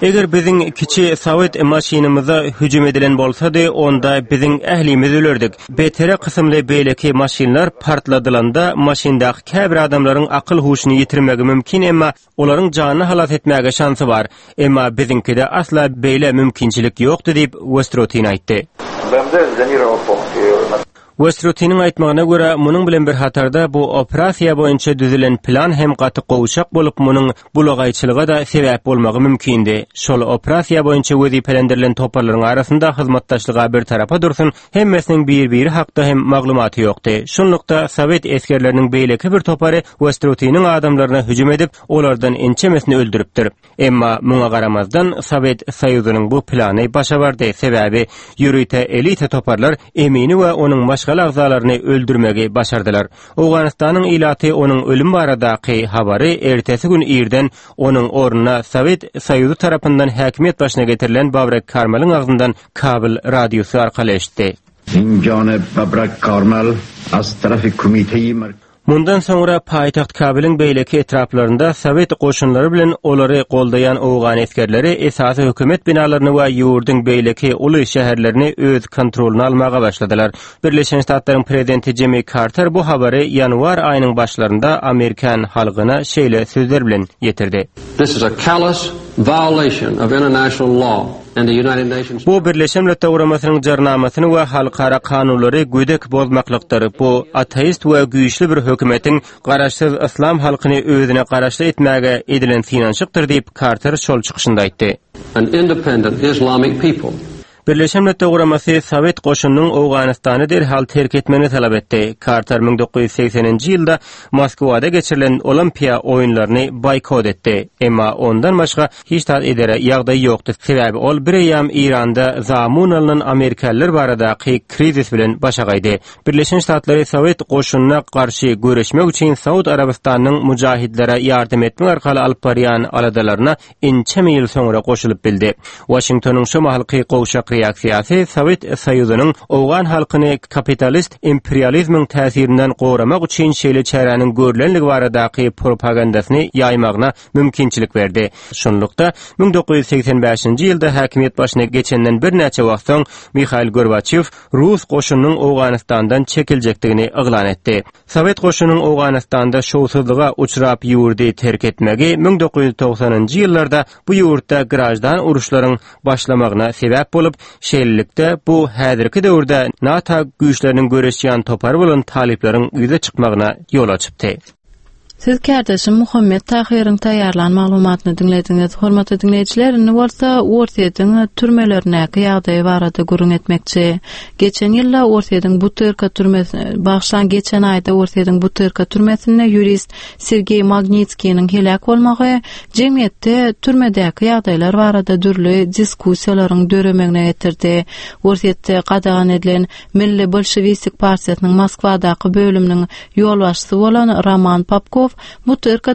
Eger biziň kiçi sowet maşynymyza hüjüm edilen bolsady, onda biziň ählimiz ölerdik. BTR kysymly beýleki maşynlar partladylanda maşyndaky käbir adamlaryň akyl-huşuny ýitirmegi mümkin, emma Olaryň janyny halas etmäge şansy bar. Emma biziňkide asla beýle mümkinçilik ýokdy diýip, Westrutin aýtdy. Westrutiniň aýtmagyna görä, munuň bilen bir hatarda bu operasiýa boýunça düzülen plan hem gaty gowşak bolup, munuň bulagaýçylyga-da sebäp bolmagy mümkindi. Şol operasiýa boýunça wezipelendirilen toparlaryň arasynda hyzmatdaşlyga bir tarapa dursun, Hemmesiniň bir-biri hakda hem maglumaty ýokdy. Şunlukda, sowet esgerleriniň beýleki bir topary Westrutiniň adamlaryna hüjüm edip, olardan ençemesini öldüripdir. Emma muňa garamazdan, Sowet Soýuzynyň bu plany başa bardy, sebäbi ýörite elita toparlar Emini we onuň maşgala agzalaryny öldürmegi başardylar. Owganystanyň ilaty onuň ölümi baradaky habary ertesi gün irden onuň ornuna Sowet Soýuzy tarapyndan häkimiýet başyna getirilen Babrek Karmalyň agzyndan Kabul radiosy arkaly eşitdi. Injone Babrak Karmal az tarafy Komiteýi Merkezi. Mundan soňra paýtagt Kabulyň beýleki etraplarynda sowet goşunlary bilen olary goldaýan owgan esgerleri esasy hökümet binalaryny we ýurduň beýleki uly şäherlerini öz kontrolyna almaga başladylar. Birleşen Ştatlaryň prezidenti Jimmi Karter bu habary ýanwar aýynyň başlarynda amerikan halkyna şeýle sözler bilen ýetirdi. This is a callous violation of international law. Bu Birleşen Milletler Guramasynyň Jarnamasyny we halkara kanunlary gödek bozmaklykdyr. Bu ateist we güýçli bir hökümetiň garaşsyz yslam halkyny özüne garaşly etmäge edilen synanyşykdyr diýip, Karter şol çykyşynda aýtdy. An independent Islamic people. Birleşen Milletler Guramasy Sowet goşunynyň Owganystany derhal terk etmegini talap etdi. Karter 1980-nji ýylda Moskwada geçirilen Olimpiýa oýunlaryny boýkot etdi. Emma ondan başga hiç zat edere ýagdaýy ýokdy, sebäbi ol bireýýäm Eýranda zamun alnan amerikalylar baradaky krizis bilen başagaýdy. Birleşen Ştatlary Sowet goşunyna garşy göreşmek üçin Saud Arabystanynyň mujahidlere ýardam etmek arkaly alyp barýan aladalaryna ençeme ýyl soňra goşulyp bildi. Waşingtonyň şo mahalky gowşak reaksiýasy Sowet Soýuzynyň owgan halkyny kapitalist imperializmiň täsirinden goramak üçin şeýle çäräniň görlenligi baradaky propagandasyny ýaýmagyna mümkinçilik berdi. Şunlukda, 1985-nji ýylda häkimiýet başyna geçenden birnäçe wagt soň Mihail Gorbaçýow rus goşunynyň Owganystandan çekiljekdigini yglan etdi. Sowet goşunynyň Owganystanda şowsuzlyga uçrap ýurdy terk etmegi 1990-njy ýyllarda bu ýurtda graždan uruşlaryň başlamagyna sebäp bolup, şeýlelikde bu häzirki döwürde NATO güýçleriniň göreşýän topary bolan talyplaryň ýüze çykmagyna ýol açypdy. Siz kärdeşim Muhammet Tahyryň taýýarlan maglumatyny diňlediňiz. Hormatly diňleýjiler, indi bolsa Orsýetiň türmelerindäki ýagdaýy barada gürrüň etmekçi. Geçen ýylda Orsýetiň Butyrka türmesi, bagyşlaň, geçen aýda Orsýetiň Butyrka türmesinde ýurist Sergeý Magnitskiniň heläk bolmagy jemgyýetde türmedäki ýagdaýlar barada dürli diskussiýalaryň döremegine getirdi. Orsýetde gadagan edilen Milli bolşewistik partiýasynyň Moskwadaky bölüminiň ýolbaşçysy bolan Roman Popkow Butyrka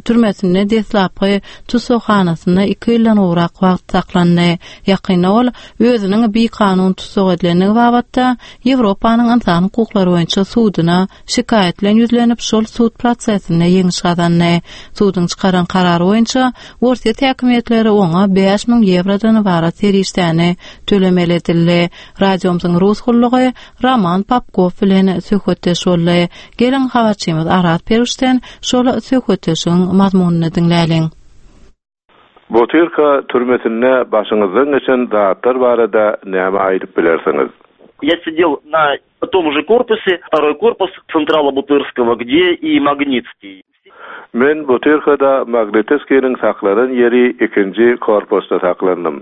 türmesinde deslapky tussaghanasynda iki ýyldan gowrak wagt saklandy. Ýakynda ol özüniň bikanun tussag edilendigi babatda Ýewropanyň ynsan hukuklary boýunça suduna şikaýat bilen ýüzlenip, şol sud prosesinde ýeňiş gazandy. Suduň çykaran karary boýunça, Orsýet häkimiýetleri oňa 5000 ýewrodan ybarat serişdäni tölemeli edildi. Radiomyzyň rus gullugy Roman Popkow bilen söhbetdeş boldy. Geliň, habarçymyz Araz Peruşden şol söhbetdeşigiň mazmunyny diňläliň. Butyrka türmesinde başyňyzdan geçen zatlar barada näme aýdyp bilersiňiz? Я сидел на том же корпусе, второй корпус Централа Бутырского, где и Магнитский. Men Butyrkada Magnitskiniň saklanan ýeri ikinji korpusda saklandym.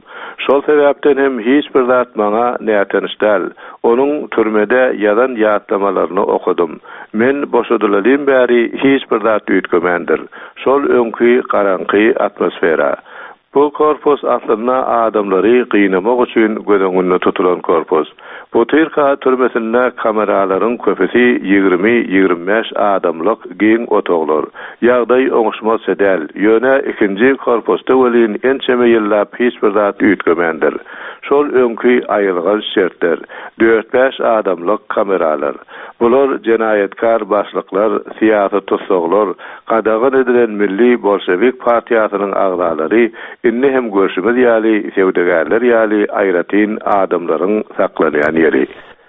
Şol sebäpden hem hiç bir zat maňa nätanyş däl. Onuň türmede ýazan ýatlamalaryny okadym. Men boşadylalym bäri hiç bir zat üýtgemändir. Şol öňki garaňky atmosfera. Bu korpus aslynda adamlary gynamak üçin göz öňünde tutulan korpus. Butyrka türmesinde kameralaryň köpüsi 20-25 adamlyk giň otaglar. Ýagdaý oňuşmazça däl, ýöne ikinji korpusda welin ençeme ýyllap hiç bir zat üýtgemändir. Şol öňki aýylganç şertler, dört-bäş adamlyk kameralar. Bular jenaýatkar başlyklar, syýasy tussaglar, gadagan edilen Milli bolşewik partiýasynyň agzalary, indi hem görşümiz ýaly, söwdagärler ýaly aýratyn adamlaryň saklanýan ýeri.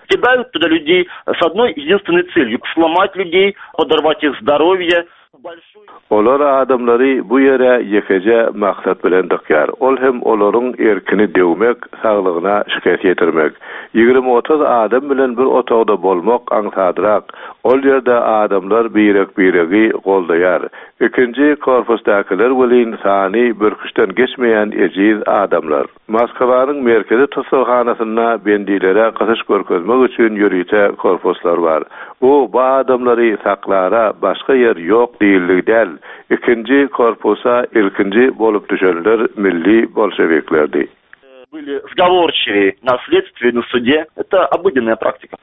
Кидают туда людей с одной единственной целью сломать людей, подорвать их здоровье. Olar adamlary bu ýere ýekeje maksat bilen dykýar, ol hem olaryň erkini döwmek, saglygyna şikes ýetirmek. 20-30 adam bilen bir otagda bolmak aňsadrak, ol ýerde adamlar birek-biregi goldaýar. Ikinji korpusdakylar welin sany birküçden geçmeýän ejiz adamlar. Moskwanyň merkezi tussaghanasynda bendilere gysyş görkezmek üçin ýörite korpuslar bar. Bu bu adamlary saklara başga ýer ýok diýildigi däl. Ikinji korpusa ilkinji bolup düşenler milli bolşewiklerdi. Были сговорчивее на следствии, на суде. Это обыденная практика.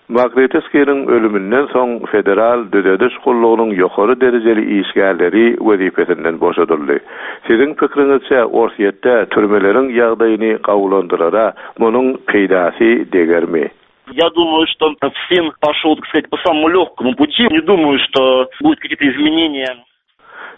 Magnitskiniň ölüminden soň Federal düzediş gullugynyň ýokary derejeli işgärleri wezipesinden boşadyldy. Siziň pikiriňizçe, Orsýetde türmeleriň ýagdaýyny gowulandyrara munuň peýdasy degermi? Я думаю, что ФСИН пошел, так сказать, по самому легкому пути. Не думаю, что будут какие-то изменения.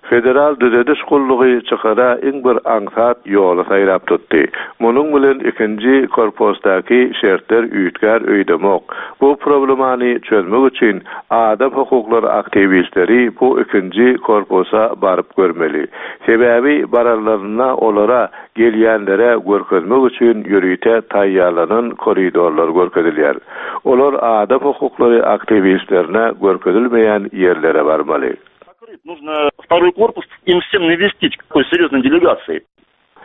Federal düzediş gullugy çykara iň bir aňsat ýoly saýlap tutdy. Munuň bilen ikinji korpusdaky şertler üýtgär öýdemok. Bu problemany çözmek üçin adam hukuklary aktiwistleri bu ikinji korpusa baryp görmeli. Sebäbi baranlarynda olara gelýänlere görkezmek üçin ýörite taýýarlanan koridorlar görkezilýär. Olar adam hukuklary aktiwistlerine görkezilmeýän ýerlere barmaly. Нужно второй корпус им всем навестить, какой серьезной делегацией.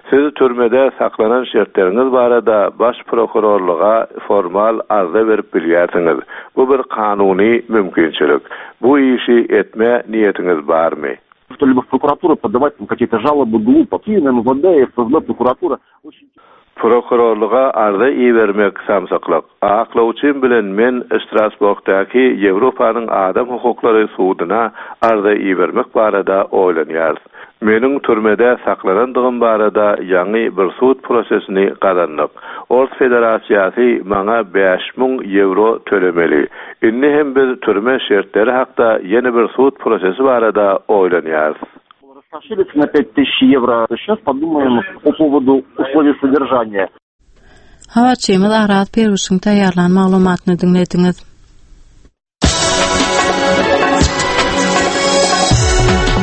Siz türmede saklanan şertleriňiz barada Baş prokurorlyga formal arza berip bilýärsiňiz. Bu bir kanuny mümkinçilik. Bu işi etme niýetiňiz barmy? Что-либо в прокуратуру подавать там какие-то жалобы глупо. МВД, ФСБ, прокуратура очень Prokurorlyga arza ibermek samsyklyk. Aklawçym bilen men Strasburgdaky Ýewropanyň adam hukuklary suduna arza ibermek barada oýlanýarys. Meniň türmede saklanandygym barada ýaňy bir sud prosesini gazandyk. Ors Federasiýasy maňa 5000 ýewro tölemeli. Indi hem biz türme şertleri hakda ýene bir sud prosesi barada oýlanýarys. Раскошелиться на 5000 евро. Сейчас подумаем по поводу условий содержания. Habarçymyz Araz Perwişiň taýýarlan maglumatyny diňlediňiz.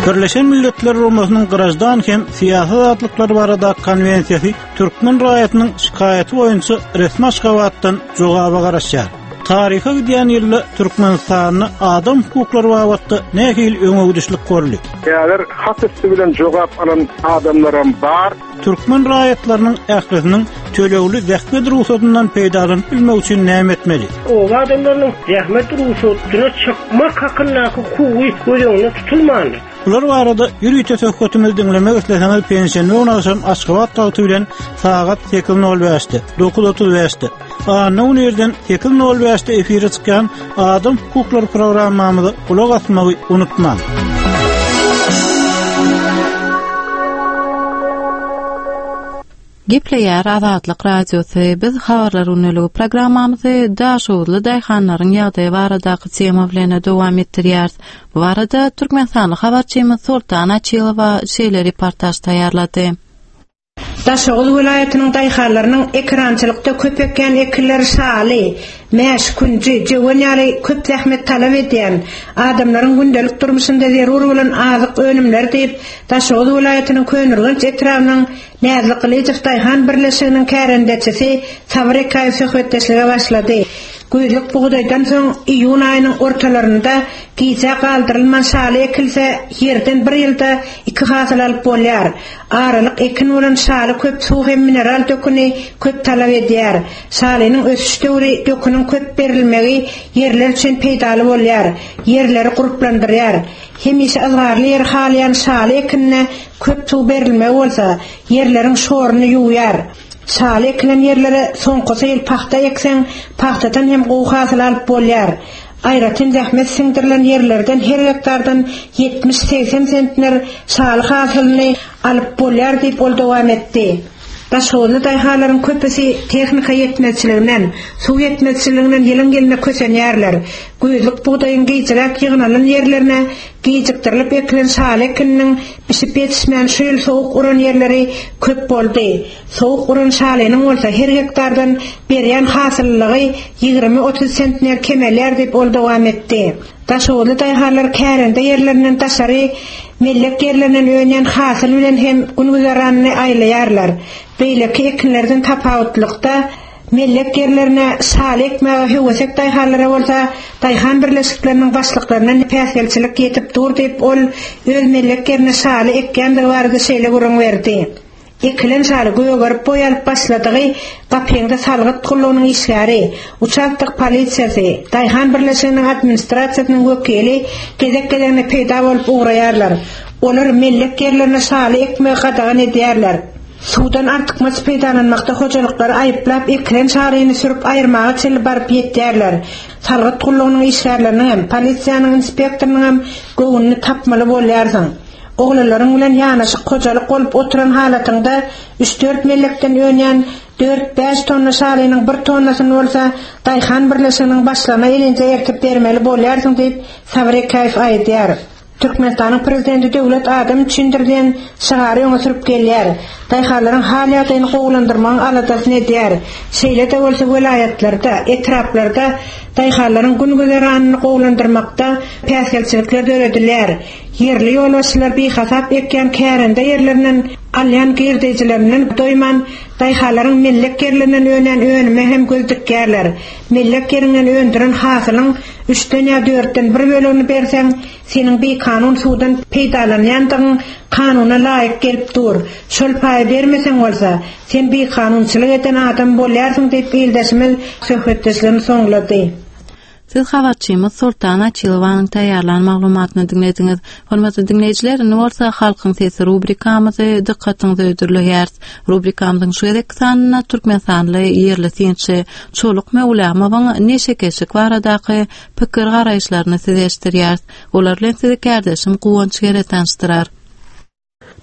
Birleşen Milletler Guramasynyň Graždan hem syýasy azatlyklar barada konwensiýasy türkmen raýatynyň şikaýaty boýunça resmi Aşgabatdan jogaba garaşýar. Taryha gidýän ýylda Türkmenistanda adam hukuklary babatda nähili öňegidişlik boldy? Häzir hat üsti bilen jogap alan adamlaram bar. Türkmen raýatlarynyň ählisiniň tölegli zähmet rugsadyndan peýdalanyp bilmegi üçin näme etmeli? Oba adamlarynyň zähmet rugsadyna çykmak hakyndaky hukugy göz öňünde tutulmandyr. Bular barada ýörite söhbetimizi diňlemek isleseňiz penşenbe güni agşam Aşgabat wagty bilen sagat 8:05-de, 9:35-de, anna güni irden 8:05-de efire çykýan Adam hukuklary programmamyza gulak asmagy unutmaň. Gepleýär Azatlyk Radiosy, biz Habarlar gündeligi programmamyzy daşoguzly daýhanlaryň ýagdaýy baradaky tema bilen dowam etdirýäris. Bu barada türkmenistanly habarçymyz Soltan Açylowa şeýle reportaž taýýarlady. Daşoguz welaýatynyň daýhanlarynyň ekerançylykda köp ekýän ekinleri şaly, mäş, künji, jöwen ýaly köp zähmet talap edýän, adamlaryň gündelik durmuşynda zerur bolan azyk önümleri diýip, Daşoguz welaýatynyň Köneürgenç etrabynyň Näzli Gylyjow daýhan birleşiginiň kärendeçisi Sabyr Ekäýew söhbetdeşlige başlady. Güýzlük bugdaýdan soň iýun aýynyň ortalarynda gijä galdyrylman şaly ekilse, ýerden bir ýylda iki hasyl alyp bolýar. Aralyk ekin bolan şaly köp suw hem mineral döküni köp talap edýär. Şalynyň ösüş döwri döküniň köp berilmegi ýerler üçin peýdaly bolýar, ýerleri gurplandyrýar. Hemişe yzgarly ýeri halaýan şaly ekinine köp suw berilmegi bolsa, ýerleriň şoruny ýuwýar. Şaly ekilen ýerlere soňkusy ýyl pagta ekseň, pagtadan hem gowy hasyl alyp bolýar. Aýratyn zähmet siňdirilen ýerlerden her gektardan 70-80 sentner şaly hasylyny alyp bolýar diýip, ol dowam etdi. Daşoguzly daýhanlaryň köpüsi tehnika ýetmezçiliginden, suw ýetmezçiliginden ýylyň-ýylyna kösenýärler. Güýzlük bugdaýyň gijräk ýygnalan ýerlerine gijikdirilip ekilen şaly ekininiň bişip ýetişmän şu ýyl sowuk uran ýerleri köp boldy. Sowuk uran şalynyň bolsa her gektardan berýän hasyllylygy 20-30 sentner kemelýär diýip, ol dowam etdi. Daşoguzly daýhanlar kärende ýerlerinden daşary mellek ýerlerinden önýän hasyl bilen hem gün-güzeranyny aýlaýarlar. Beýleki ekinlerden tapawutlykda, mellek ýerlerine şaly ekmäge höwesek daýhanlara bolsa daýhan birleşikleriniň başlyklaryndan päsgelçilik ýetip dur diýip, ol öz mellek ýerine şaly ekýändigi barada şeýle gürrüň berdi. Ekilen şaly gögerip boý alyp başladygy gapyňda salgyt gullugynyň işgäri, uçastok polisiýasy, daýhan birleşiginiň administrasiýasynyň wekili gezek-gezegine peýda bolup ugraýarlar. Olar mellek ýerlerine şaly ekmegi gadagan edýärler. Suwdan artykmaç peýdalanmakda hojalyklary aýyplap ekilen şalyny sürüp aýyrmaga çenli baryp ýetýärler. Salgyt gullugynyň işgärleriniňem, polisiýanyň inspektorynyňam göwnüni tapmaly bolýarsyň. Oglanlaryň bilen ýanaşyk hojalyk bolup oturan halatyňda üç-dört mellekden önýän dört-bäş tonna şalynyň bir tonnasyny bolsa daýhan birleşiginiň başlygyna elinje ertip bermeli bolýarsyň diýip, Sabyr Ekäýew aýdýar. Türkmenistanyň Prezidenti Döwlet adam üçindir diýen şygary öňe sürüp gelýär. Daýhanlaryň hal-ýagdaýyny gowulandyrmagyň aladasyny edýär. Şeýle-de bolsa welaýatlarda, etraplarda daýhanlaryň gün-güzeranyny gowulandyrmakda päsgelçilikler döredilýär. Ýerli ýolbaşçylar bihasap ekýän kärende ýerlerinden alýan girdejilerinden doýman, Daýhanlaryň mellek ýerlerinden önen önüme hem göz dikýärler. Mellek ýeriňden öndüren hasylyň üçden ýa dörtden bir bölegini berseň, seniň bikanun suwdan peýdalanýandygyň kanuna laýyk gelip dur. Şol paýy bermeseň bolsa, sen bikanunçylyk eden adam bolýarsyň diýip ildeşimiz söhbetdeşligini soňlady. Siz habarçymyz Soltan Açylowanyň taýýarlan maglumatyny diňlediňiz. Hormatly diňleýjiler, indi bolsa Halkyň sesi rubrikamyzy dykgatyňyza hödürleýäris. Rubrikamyzyň şu gezekki sanynda türkmenistanly ýerli synçy Çoluk Möwlamowyň neşekeşlik baradaky pikir-garaýyşlaryny size eşitdirýäris. Olar bilen sizi kärdeşim Guwanç Gere tanyşdyrar.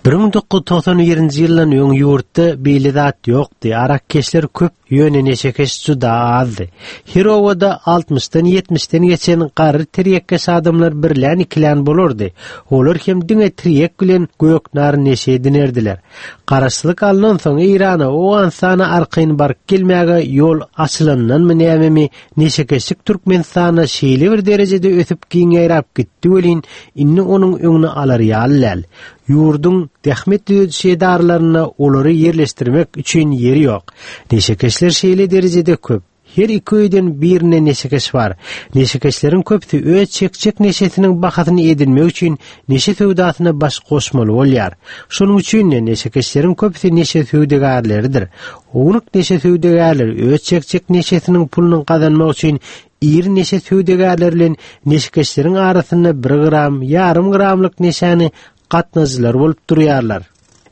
1991-nji ýyldan öň ýurtda beýle zat ýokdy, arakkeşler köp, ýöne neşekeş juda azdy. Her obada altmyşdan, ýetmişden geçen garry tirýekkeş adamlar birlän-ikilän bolardy. Olar hem diňe tirýek bilen göknar neşe edinerdiler. Garaşsyzlyk alnansoň Eýrana, Owganystana arkaýyn baryp gelmäge ýol açylandanmy nämemi, Neşekeşlik Türkmenistanda şeýle bir derejede ösüp giň ýaýrap gitdi welin, indi onuň öňüni alar ýaly däl. Ýurduň zähmet düzediş edaralarynda olary ýerleşdirmek üçin ýer ýok. Neşekeşler şeýle derejede köp. Her iki öýden birinde neşekeş bar. Neşekeşleriň köpüsi öz çekjek neşesiniň bahasyny edinmek üçin neşe söwdasyna baş goşmaly bolýar. Şonuň üçin-de neşekeşleriň köpüsi neşe söwdagärleridir. Ownuk neşe söwdagärleri öz çekjek neşesiniň puluny gazanmak üçin iri neşe söwdagärleri bilen neşekeşleriň arasynda bir gram, ýarym gramlyk neşäni gatnadyjylar bolup durýarlar.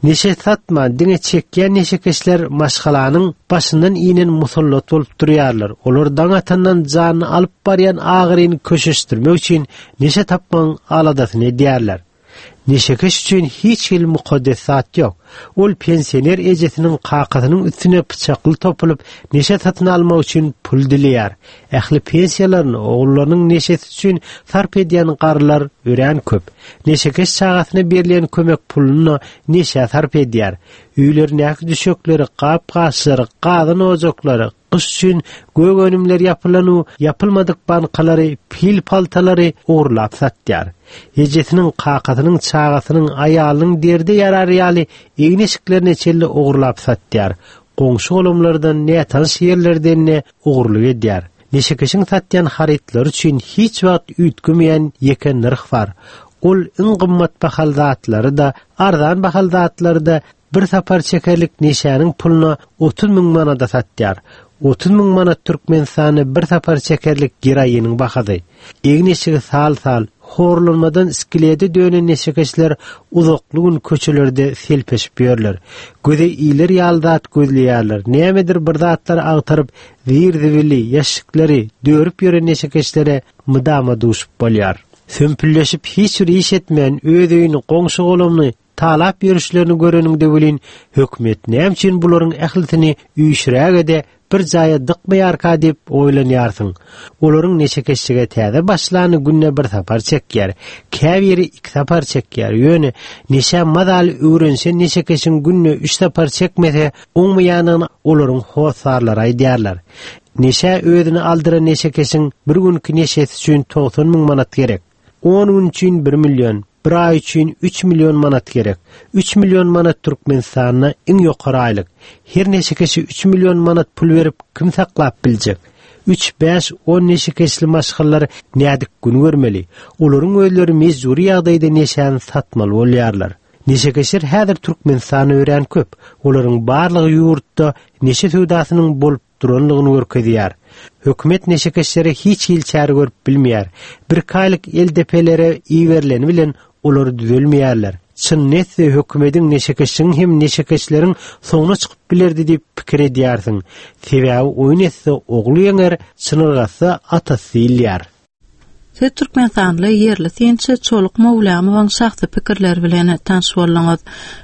Neşe satman, diňe çekýän neşekeşler maşgalanyň başyndan inen musallat bolup durýarlar. Olar daň atandan janyny alyp barýan agyryny köşeşdirmek üçin neşe tapmagyň aladasyny edýärler. Neşekeş üçin hiç hili mukaddes zat ýok. Ol pensioner ejesiniň, kakasynyň üstüne pyçakly topulyp, neşe satyn almak üçin pul dileýär. Ähli pensiýalaryny ogullarynyň neşesi üçin sarp edýän garrylar örän köp. Neşekeş çagasyna berilýän kömek puluny-da neşä sarp edýär. Öýlerindäki düşekleri, gap-gaçlary, gazan-ojaklary, gyş üçin gök önümler ýapylan-u ýapylmadyk bankalary, pil-paltalary ogurlap satýar. Ejesiniň, kakasynyň, çagasynyň, aýalynyň derde ýarar ýaly egin-eşiklerine çenli ogurlap satýar. Goňşy-golamlardan, nätanyş ýerlerden-de ogurlyk edýär. Neşekeşiň satýan harytlary üçin hiç wagt üýtgemeýän ýeke nyrh bar. Ol iň gymmat bahaly zatlary-da, arzan bahaly zatlary-da bir sapar çekerlik neşäniň puluna 30 müň manada satýar. 30 müň manat Türkmenistanda bir sapar çekerlik geroiniň bahasy. Egin-eşigi sal-sal, horlanmadan skelede dönen neşekeşler uzakly gün köçelerde selpeşip ýörler. Göze iler ýaly zat gözleýärler. Nämedir bir zatlar agtaryp, zir-zibili, ýaşşikleri dörüp ýören neşekeşlere mydama duşup bolýar. Sömpülleşip hiç bir iş etmän, öz öýüni, goňşy-golamyny talap ýörüşlerini göreniňde welin, hökümet näme üçin bularyň ählisini üýşüräge-de bir jaýa dykmaýarka diýip oýlanýarsyň. Olaryň neşekeşlige täze başlany günde bir sapar çekýär, käbiri iki sapar çekýär, ýöne neşä mazaly öwrenişen neşekeşiň günde üç sapar çekmese oňmaýanyny olaryň hossarlary aýdýarlar. Neşä özüni aldyran neşekeşiň bir günki neşesi üçin 90 müň manat gerek. On gün üçin bir million, bir aý üçin üç million manat gerek. Üç million manat Türkmenistanda iň ýokary aýlyk. Her neşekeşe üç million manat pul berip kim saklap biljek? Üç, bäş, on neşekeşli maşgalalar nädip gün görmeli? Olaryň özleri mejbury ýagdaýda neşäni satmaly bolýarlar. Neşekeşler häzir Türkmenistanda örän köp. Olaryň barlygy ýurtda neşe söwdasynyň bolup duranlygyny görkezýär. Hökümet neşekeşlere hiç hili çäre görüp bilmeýär. Birki aýlyk eldepelere iberileni bilen olar düzelmeýärler. Çynyny etse hökümediň neşekeşligiň hem neşekeşleriň soňuna çykyp bilerdi diýip pikir edýärsiň. Sebäbi oýun etse ogly ýeňer, çynyrgatsa atasy diýilýär. Siz türkmenistanly ýerli synçy Çoluk Mowlamowyň şahsy pikirleri bilen tanyş bolduňyz.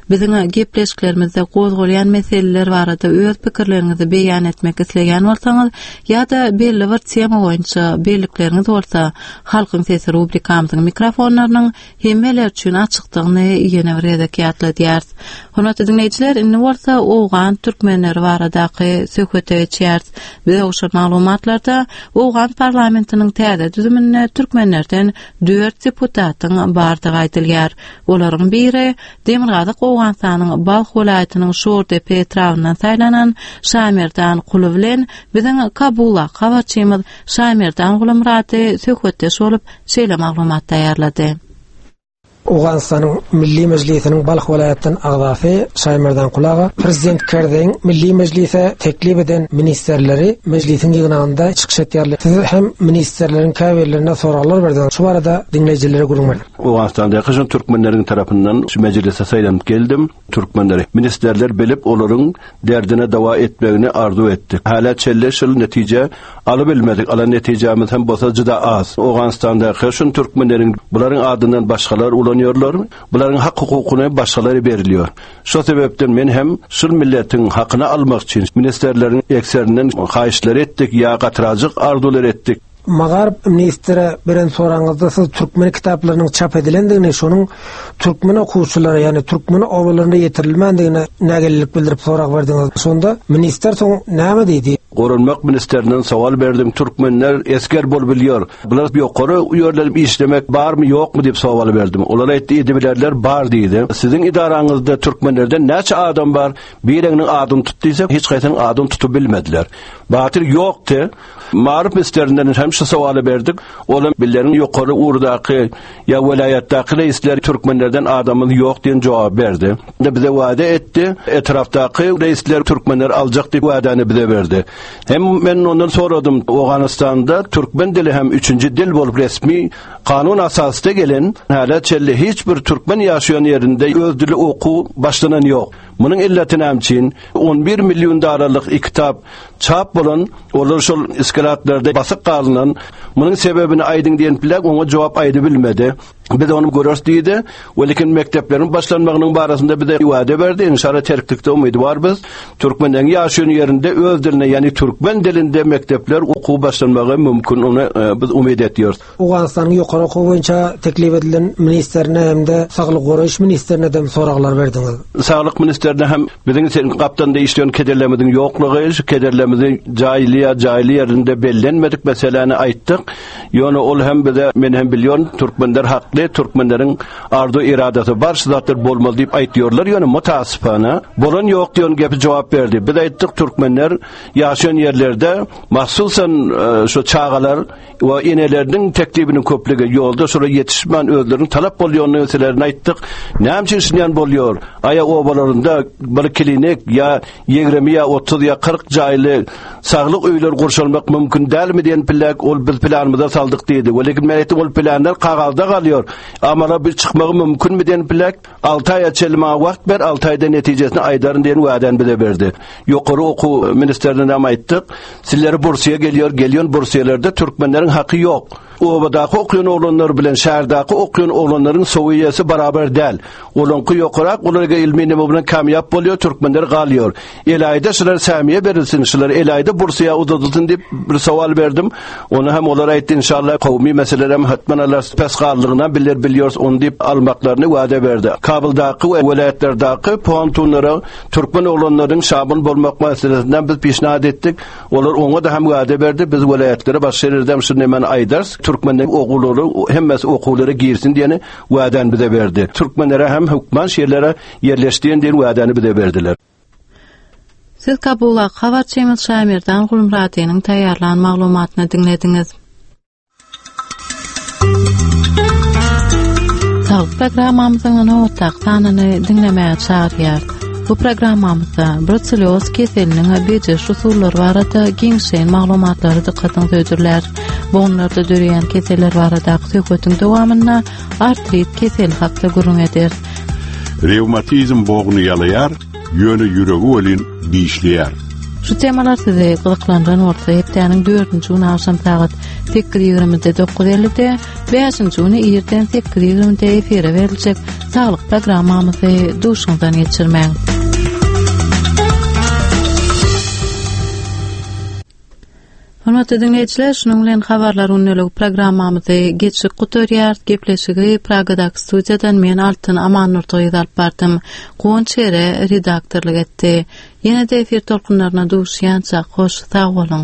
Biziň gepleşiklerimizde gozgalýan meseleler barada öz pikirleriňizi beýan etmek isleýän bolsaňyz ýa-da belli bir tema boýunça bellikleriňiz bolsa, Halkyň sesi rubrikamyzyň mikrofonlarynyň hemmeler üçin açykdygyny ýene bir gezek ýatladýarys. Hormatly diňleýjiler, indi bolsa owgan türkmenleri baradaky söhbete geçýäris. Bize gowşan maglumatlarda owgan parlamentiniň täze düzüminde türkmen. türkmenlerden dört deputatyň bardygy aýdylýar. Olaryň biri Demirgazyk Owganystanyň Balh welaýatynyň Şordepe etrabyndan saýlanan Şamerdan Kuly bilen biziň Kabuldaky habarçymyz Şamerdan Gulumyrady söhbetdeş bolup, şeýle maglumat taýýarlady. Owganystanyň Milli Mejlisiniň Balh welaýatdan agzasy Şaýmerdan Kul aga Prezident Kerzeýiň Milli Mejlise teklip eden ministrleri Mejlisiň ýygnagynda çykyş etýärler. Siz hem ministrleriň käbirlerine soraglar berdiňiz. Şu barada diňleýjilere gürrüň beriň. Owganystandaky şol türkmenleriň tarapyndan şu Mejlise saýlanyp geldim. Türkmenleri ministrler bilip olaryň derdine dawa etmegini arzuw etdik. Hälä çenli şul netije alybilmedik. Alan netijämiz hem bolsa juda az. Owganystandaky şun türkmenleriň bularyň adyndan başgalar ulanýarlar. Bularyň hak hukukyny başgalara berilýär. Şo sebäpden men hem şul milletiň hakyny almak üçin ministrleriň ekserinden haýyşlar etdik ýa gatyrajyk arzuwlar etdik. Magaryf ministre beren soragyňyzda siz türkmen kitaplarynyň çap edilendigini, şonuň türkmen okuwçylara, ýagny türkmen obalarynda ýetirilmändigine nägilelik bildirip sorag berdiňiz. Şonda ministr soň näme diýdi? Goranmak ministerinden sowal berdim, türkmenler esger bolubilýär, bular ýokary ýerlenip işlemek barmy ýokmy diýip sowal berdim. Olar aýtdy edibilerler bar diýdi. Siziň edaraňyzda türkmenlerden näçe adam bar, bireňiniň adyny tut diýsek hiç haýsynyň adyny tutup bilmediler. Batyr ýokdy. Maryf ministerinden hem şu sowaly berdik. Olam billeriň ýokary ugurdaky ýa welaýatdaky reisler türkmenlerden adamymyz ýok diýen jogaby berdi. Bize wada etdi, etrapdaky reisler türkmenleri aljak diýip wadany bize berdi. Hem men ondan soradym, Owganystanda türkmen dili hem üçünji dil bolup resmi kanun asasda gelen, hälä çenli hiç bir türkmen ýaşaýan ýerinde öz dili okuw başlanan ýok. Munuň illeti näme üçin? 11 million daralyk kitap çap bolan, olar şol iskratlarda basyk galynan. Munuň sebebini aýdyň diýen bilen oňa jogap aýdy bilmedi. Biz ony göreris diýdi. Welikin mekdepleriň başlanmagynyň barasynda bize wada berdi. Inşallah terklikde umydy bar biz. Türkmenleň ýaşaýan ýerinde öz dilinde, ýagny türkmen dilinde mekdepler okuw başlanmagy mümkin. Ony e, biz umyt etýäris. Owganystanyň ýokary okuw boýunça teklip edilen ministrine hem-de saglygy goraýyş ministrine dem soraglar berdiňiz. Saglyk ministrine hem biziň sen gapdalynda işleýän kederlerimiziň ýoklugy, şu kederlerimizi jaýly ýa jaýly ýerinde bellenmedik meseläni aýtdyk. Ýöne ol hem bize, men hem bilýän, türkmenler hakly, türkmenleriň arzuw-eradasy bar, şu zatlar bolmaly diýip aýtýarlar. Ýöne mutasypana, bolan ýok diýen gepi jogap berdi. Biz aýtdyk, türkmenler ýaşaýan ýerlerde, mahsusan şu çagalar, we eneleriniň teklibiniň köplügi ýolda şolara ýetişmän özleriniň talap bolýan meselelerini aýtdyk. Näme üçin şundan bolýar? Aýa obalarynda bir klinik ýa 20 ýa 30 ýa 40 jaýly saglyk öýleri gurşalmak mümkin dälmi diýen pillek ol biz planymyza saldyk diýdi. We lekin men aýtdym ol planlar kagazda galýar. Amala bir çykmagy mümkinmi diýen pillek 6 aýa çenli maňa wagt ber, 6 aýda netijesini aýdaryn diýen wa'däni bize berdi. Ýokary okuw ministrine hem aýtdyk. Sizlere bursiýa gelýär, gelýän bursiýalerde türkmenleriň haky ýok. Obadaky okaýan oglanlar bilen şäherdäki okaýan oglanlaryň sowiýesi barabar däl. Olaňky ýokarak, olar ilmi neme bilen kamýap bolýar, türkmenler galýar. Elaýda şular sämiýe berilsin, şular elaýda bursiýa uzadylsyn diýip bir sowal berdim. Ony hem olar aýtdy, inşallah kowmy meseleler hem hötman alar pes galdygyna biler bilýäris ony diýip almaklaryny wada berdi. Kabuldaky we welaýatlardaky pontunlara Türkmen oglanlarynyň şamil bolmak meselesinden biz pişnat etdik. Olar oňa-da hem wada berdi. Biz welaýatlara başga ýerlerde hem şu nemeni aýdarys. Türkmenleriň ogullary hemmesi okuwlara girsin diýeni wadany bize berdi. Türkmenlere hem hökman şu ýerlere ýerleş diýen diýen wadany bize berdiler. Siz Kabuldaky habarçymyz Şaýmerdan Gulmyradynyň taýýarlan maglumatyny diňlediňiz. Saglyk programmamyzyň nobatdaky sanyny diňlemäge çagyrýar. Bu programmamyzda bruselloz keseliniň bejeriş usullary barada giňişleýin maglumatlary dykgatyňyza hödürlär. Bogunlarda döreýän keseller baradaky söhbetiň dowamynda artrit keseli hakda gürrüň ederis. Rewmatizm bogny ýalaýar, ýöne ýüregi welin dişleýär. Şu temalar sizi gyzyklandyran bolsa, hepdäniň dördünji güni agşam sagat 8.20-de 9.50-de, bäşinji güni irden 8.20-de efire beriljek saglyk programmamyzy duşuňyzdan geçirmäň. Hormatly diňleýjiler, şunuň bilen habarlar gündeligi programmamyzy geçip gutarýarys. Gepleşigi Pragadaky studiýadan men Altyn Amannurdygyz alyp bardym. Guwanç Ere redaktorlyk etdi. Ýene-de efir tolkunlaryna duşýançak, hoş sag boluň!